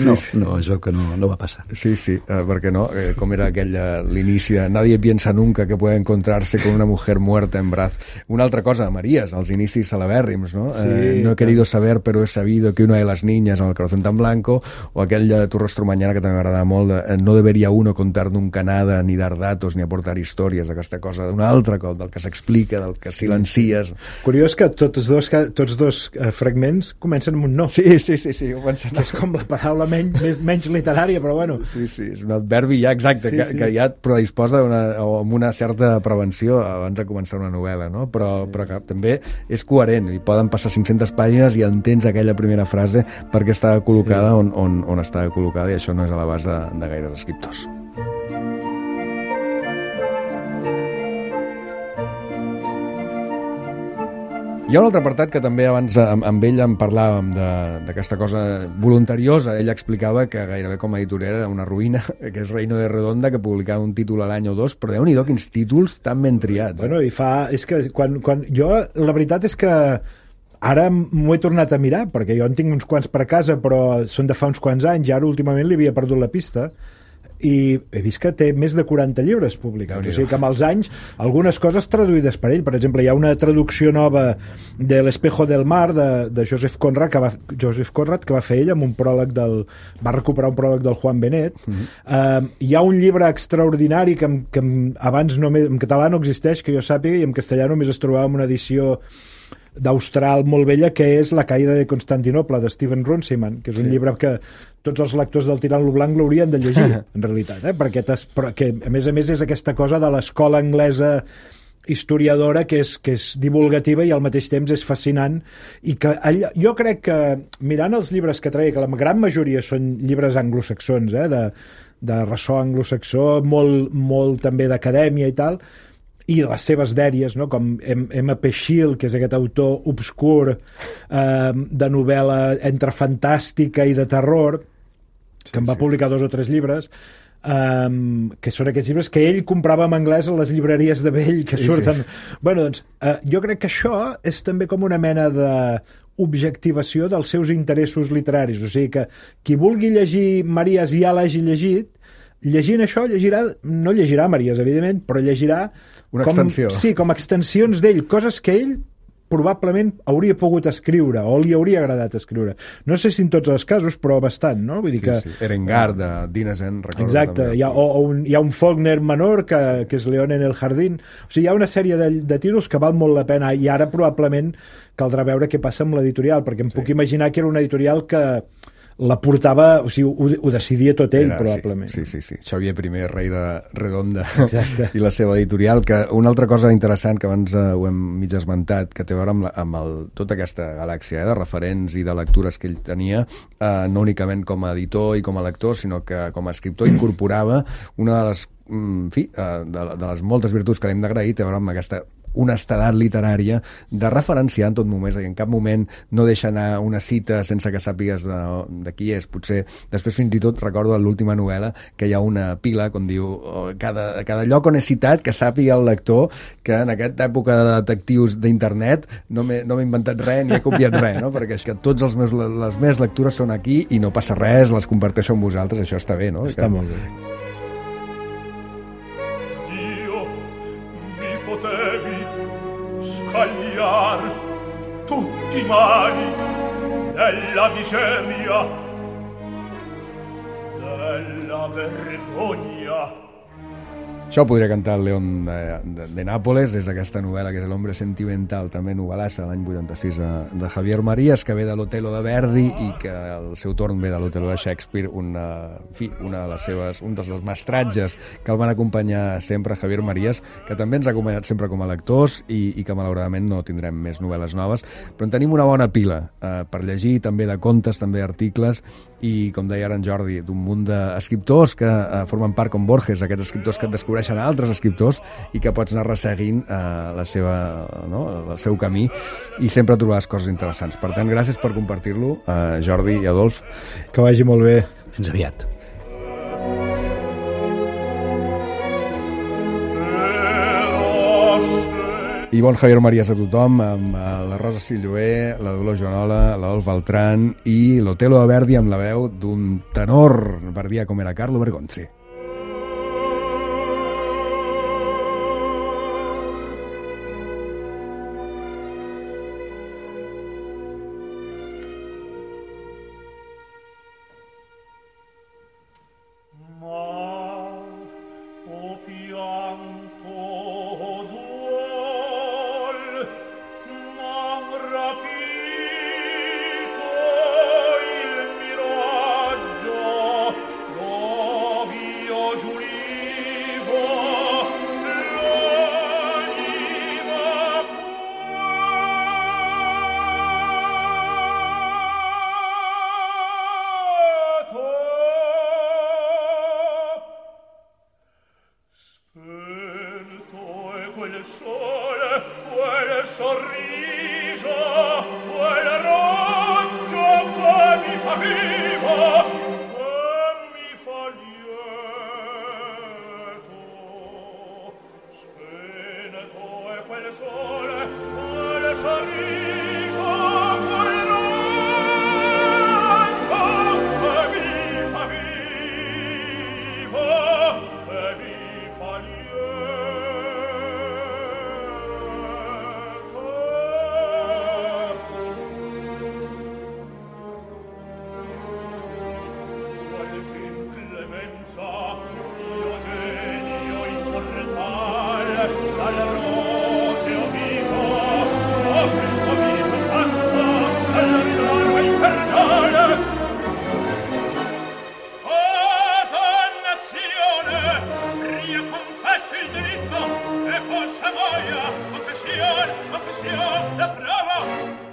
no, sí, sí. no, es veu que no, no va passar. Sí, sí, eh, perquè no, eh, com era aquell l'inici de Nadie piensa nunca que puede encontrarse con una mujer muerta en braz. Una altra cosa, Marías, els inicis celebèrrims, no? Sí, eh, no he querido saber, però he sabido que una de les niñas en el corazón tan blanco, o aquell de Tu rostro mañana, que també m'agrada molt, de, eh, no debería uno contar nunca nada, ni dar datos, ni aportar històries, aquesta cosa d'un altre cop, del que s'explica, del que silencies. Curiós que tots dos, tots dos eh, fragments comencen amb un no. Sí, sí, sí, sí, ho pensem. És com la paraula menys, més, menys literària, però bueno. Sí, sí, és un adverbi ja exacte, sí, que, sí. que ja et predisposa una, amb una certa prevenció abans de començar una novel·la, no? Però, sí. però que també és coherent, i poden passar cinc-centes pàgines i entens aquella primera frase perquè estava col·locada sí. on, on, on estava col·locada, i això no és a l'abast de, de gaires escriptors. Hi ha un altre apartat que també abans amb, amb ell en parlàvem d'aquesta cosa voluntariosa. Ell explicava que gairebé com a editorial era una ruïna, que és Reino de Redonda, que publicava un títol a l'any o dos, però déu-n'hi-do quins títols tan ben triats. Bueno, i fa... És que quan, quan... Jo, la veritat és que ara m'ho he tornat a mirar, perquè jo en tinc uns quants per casa, però són de fa uns quants anys, i ara últimament li havia perdut la pista. i he vist que té més de quaranta llibres publicats, o sigui que amb els anys algunes coses traduïdes per ell. Per exemple, hi ha una traducció nova de L'Espejo del Mar de, de Joseph Conrad que va, Joseph Conrad que va fer ell amb un pròleg del, va recuperar un pròleg del Juan Benet. Mm-hmm. uh, hi ha un llibre extraordinari que, que abans només, en català no existeix, que jo sàpiga, i en castellà només es trobava en una edició d'Austral molt vella, que és La caïda de Constantinople, de Steven Runciman, que és un sí. llibre que tots els lectors del Tirant lo Blanc l'haurien de llegir, en realitat, eh? perquè que, a més a més és aquesta cosa de l'escola anglesa historiadora que és, que és divulgativa i al mateix temps és fascinant, i que allò, jo crec que mirant els llibres que treia, que la gran majoria són llibres anglosaxons, eh? de, de ressò anglosaxó, molt, molt també d'acadèmia i tal, i les seves dèries, no? Com M P Schill, que és aquest autor obscur eh, de novel·la entre fantàstica i de terror, que sí, en va sí. publicar dos o tres llibres, um, que són aquests llibres que ell comprava en anglès a les llibreries de vell, que sí, surten... Sí. Bueno, doncs, uh, jo crec que això és també com una mena de objectivació dels seus interessos literaris, o sigui que qui vulgui llegir Maries i ja l'hagi llegit, llegint això llegirà, no llegirà Maries, evidentment, però llegirà una com, extensió. Sí, com extensions d'ell, coses que ell probablement hauria pogut escriure o li hauria agradat escriure. No sé si en tots els casos, però bastant, no? Vull dir sí, que... Sí. Erengar, de Dinesen, recordo. Exacte, hi ha, o, o un, hi ha un Faulkner menor que, que és León en el Jardín. O sigui, hi ha una sèrie de, de títols que val molt la pena, i ara probablement caldrà veure què passa amb l'editorial, perquè em sí. puc imaginar que era una editorial que la portava, o sigui, ho, ho decidia tot ell, Era, probablement. Sí, sí, sí. Xavier I, rei de Redonda, Exacte. i la seva editorial, que una altra cosa interessant que abans eh, ho hem mig esmentat, que té a veure amb, la, amb el, tota aquesta galàxia eh, de referents i de lectures que ell tenia, eh, no únicament com a editor i com a lector, sinó que com a escriptor incorporava una de les, en fi, eh, de, de les moltes virtuts que l'hem d'agrair, té a veure amb aquesta honestedat literària de referenciar en tot moment, i en cap moment no deixa anar una cita sense que sàpigues de, de qui és. Potser després fins i tot recordo en l'última novel·la que hi ha una pila on diu oh, cada, cada lloc on he citat que sàpiga el lector que en aquesta època de detectius d'internet no m'he no inventat res ni he copiat res, no? Perquè és que tots els meus, les meves lectures són aquí i no passa res, les comparteixo amb vosaltres, això està bé, no? Està que... molt bé. Scagliar tutti i mali della miseria, della vergogna. Això ho podria cantar el León de, de, de Nápoles, és aquesta novel·la que és El hombre sentimental, també novel·lassa, l'any vuitanta-sis de, de Javier Marías, que ve de l'Otello de Verdi i que al seu torn ve de l'Otello de Shakespeare, una, en fi, una de les seves, un dels mestratges que el van acompanyar sempre, Javier Marías, que també ens ha acompanyat sempre com a lectors i, i que malauradament no tindrem més novel·les noves, però en tenim una bona pila eh, per llegir, també de contes, també d'articles, i com deia ara en Jordi, d'un munt d'escriptors que eh, formen part com Borges, aquests escriptors que et descobreixen a altres escriptors i que pots anar resseguint eh, la seva, no, el seu camí, i sempre trobaràs coses interessants. Per tant, gràcies per compartir-lo, eh, Jordi i Adolf. Que vagi molt bé. Fins aviat. I bon Javier Marías a tothom, amb la Rosa Silloé, la Dolors Joanola, l'Adolf Beltrán i l'Otello de Verdi amb la veu d'un tenor verdià com era Carlo Bergonzi. Vivo dal roseo viso, apri il tuo viso santo, dall'orrore infernale. Oh, dannazione, ria confessi il diritto, e poi se muoia, confessione, confessione, la prova.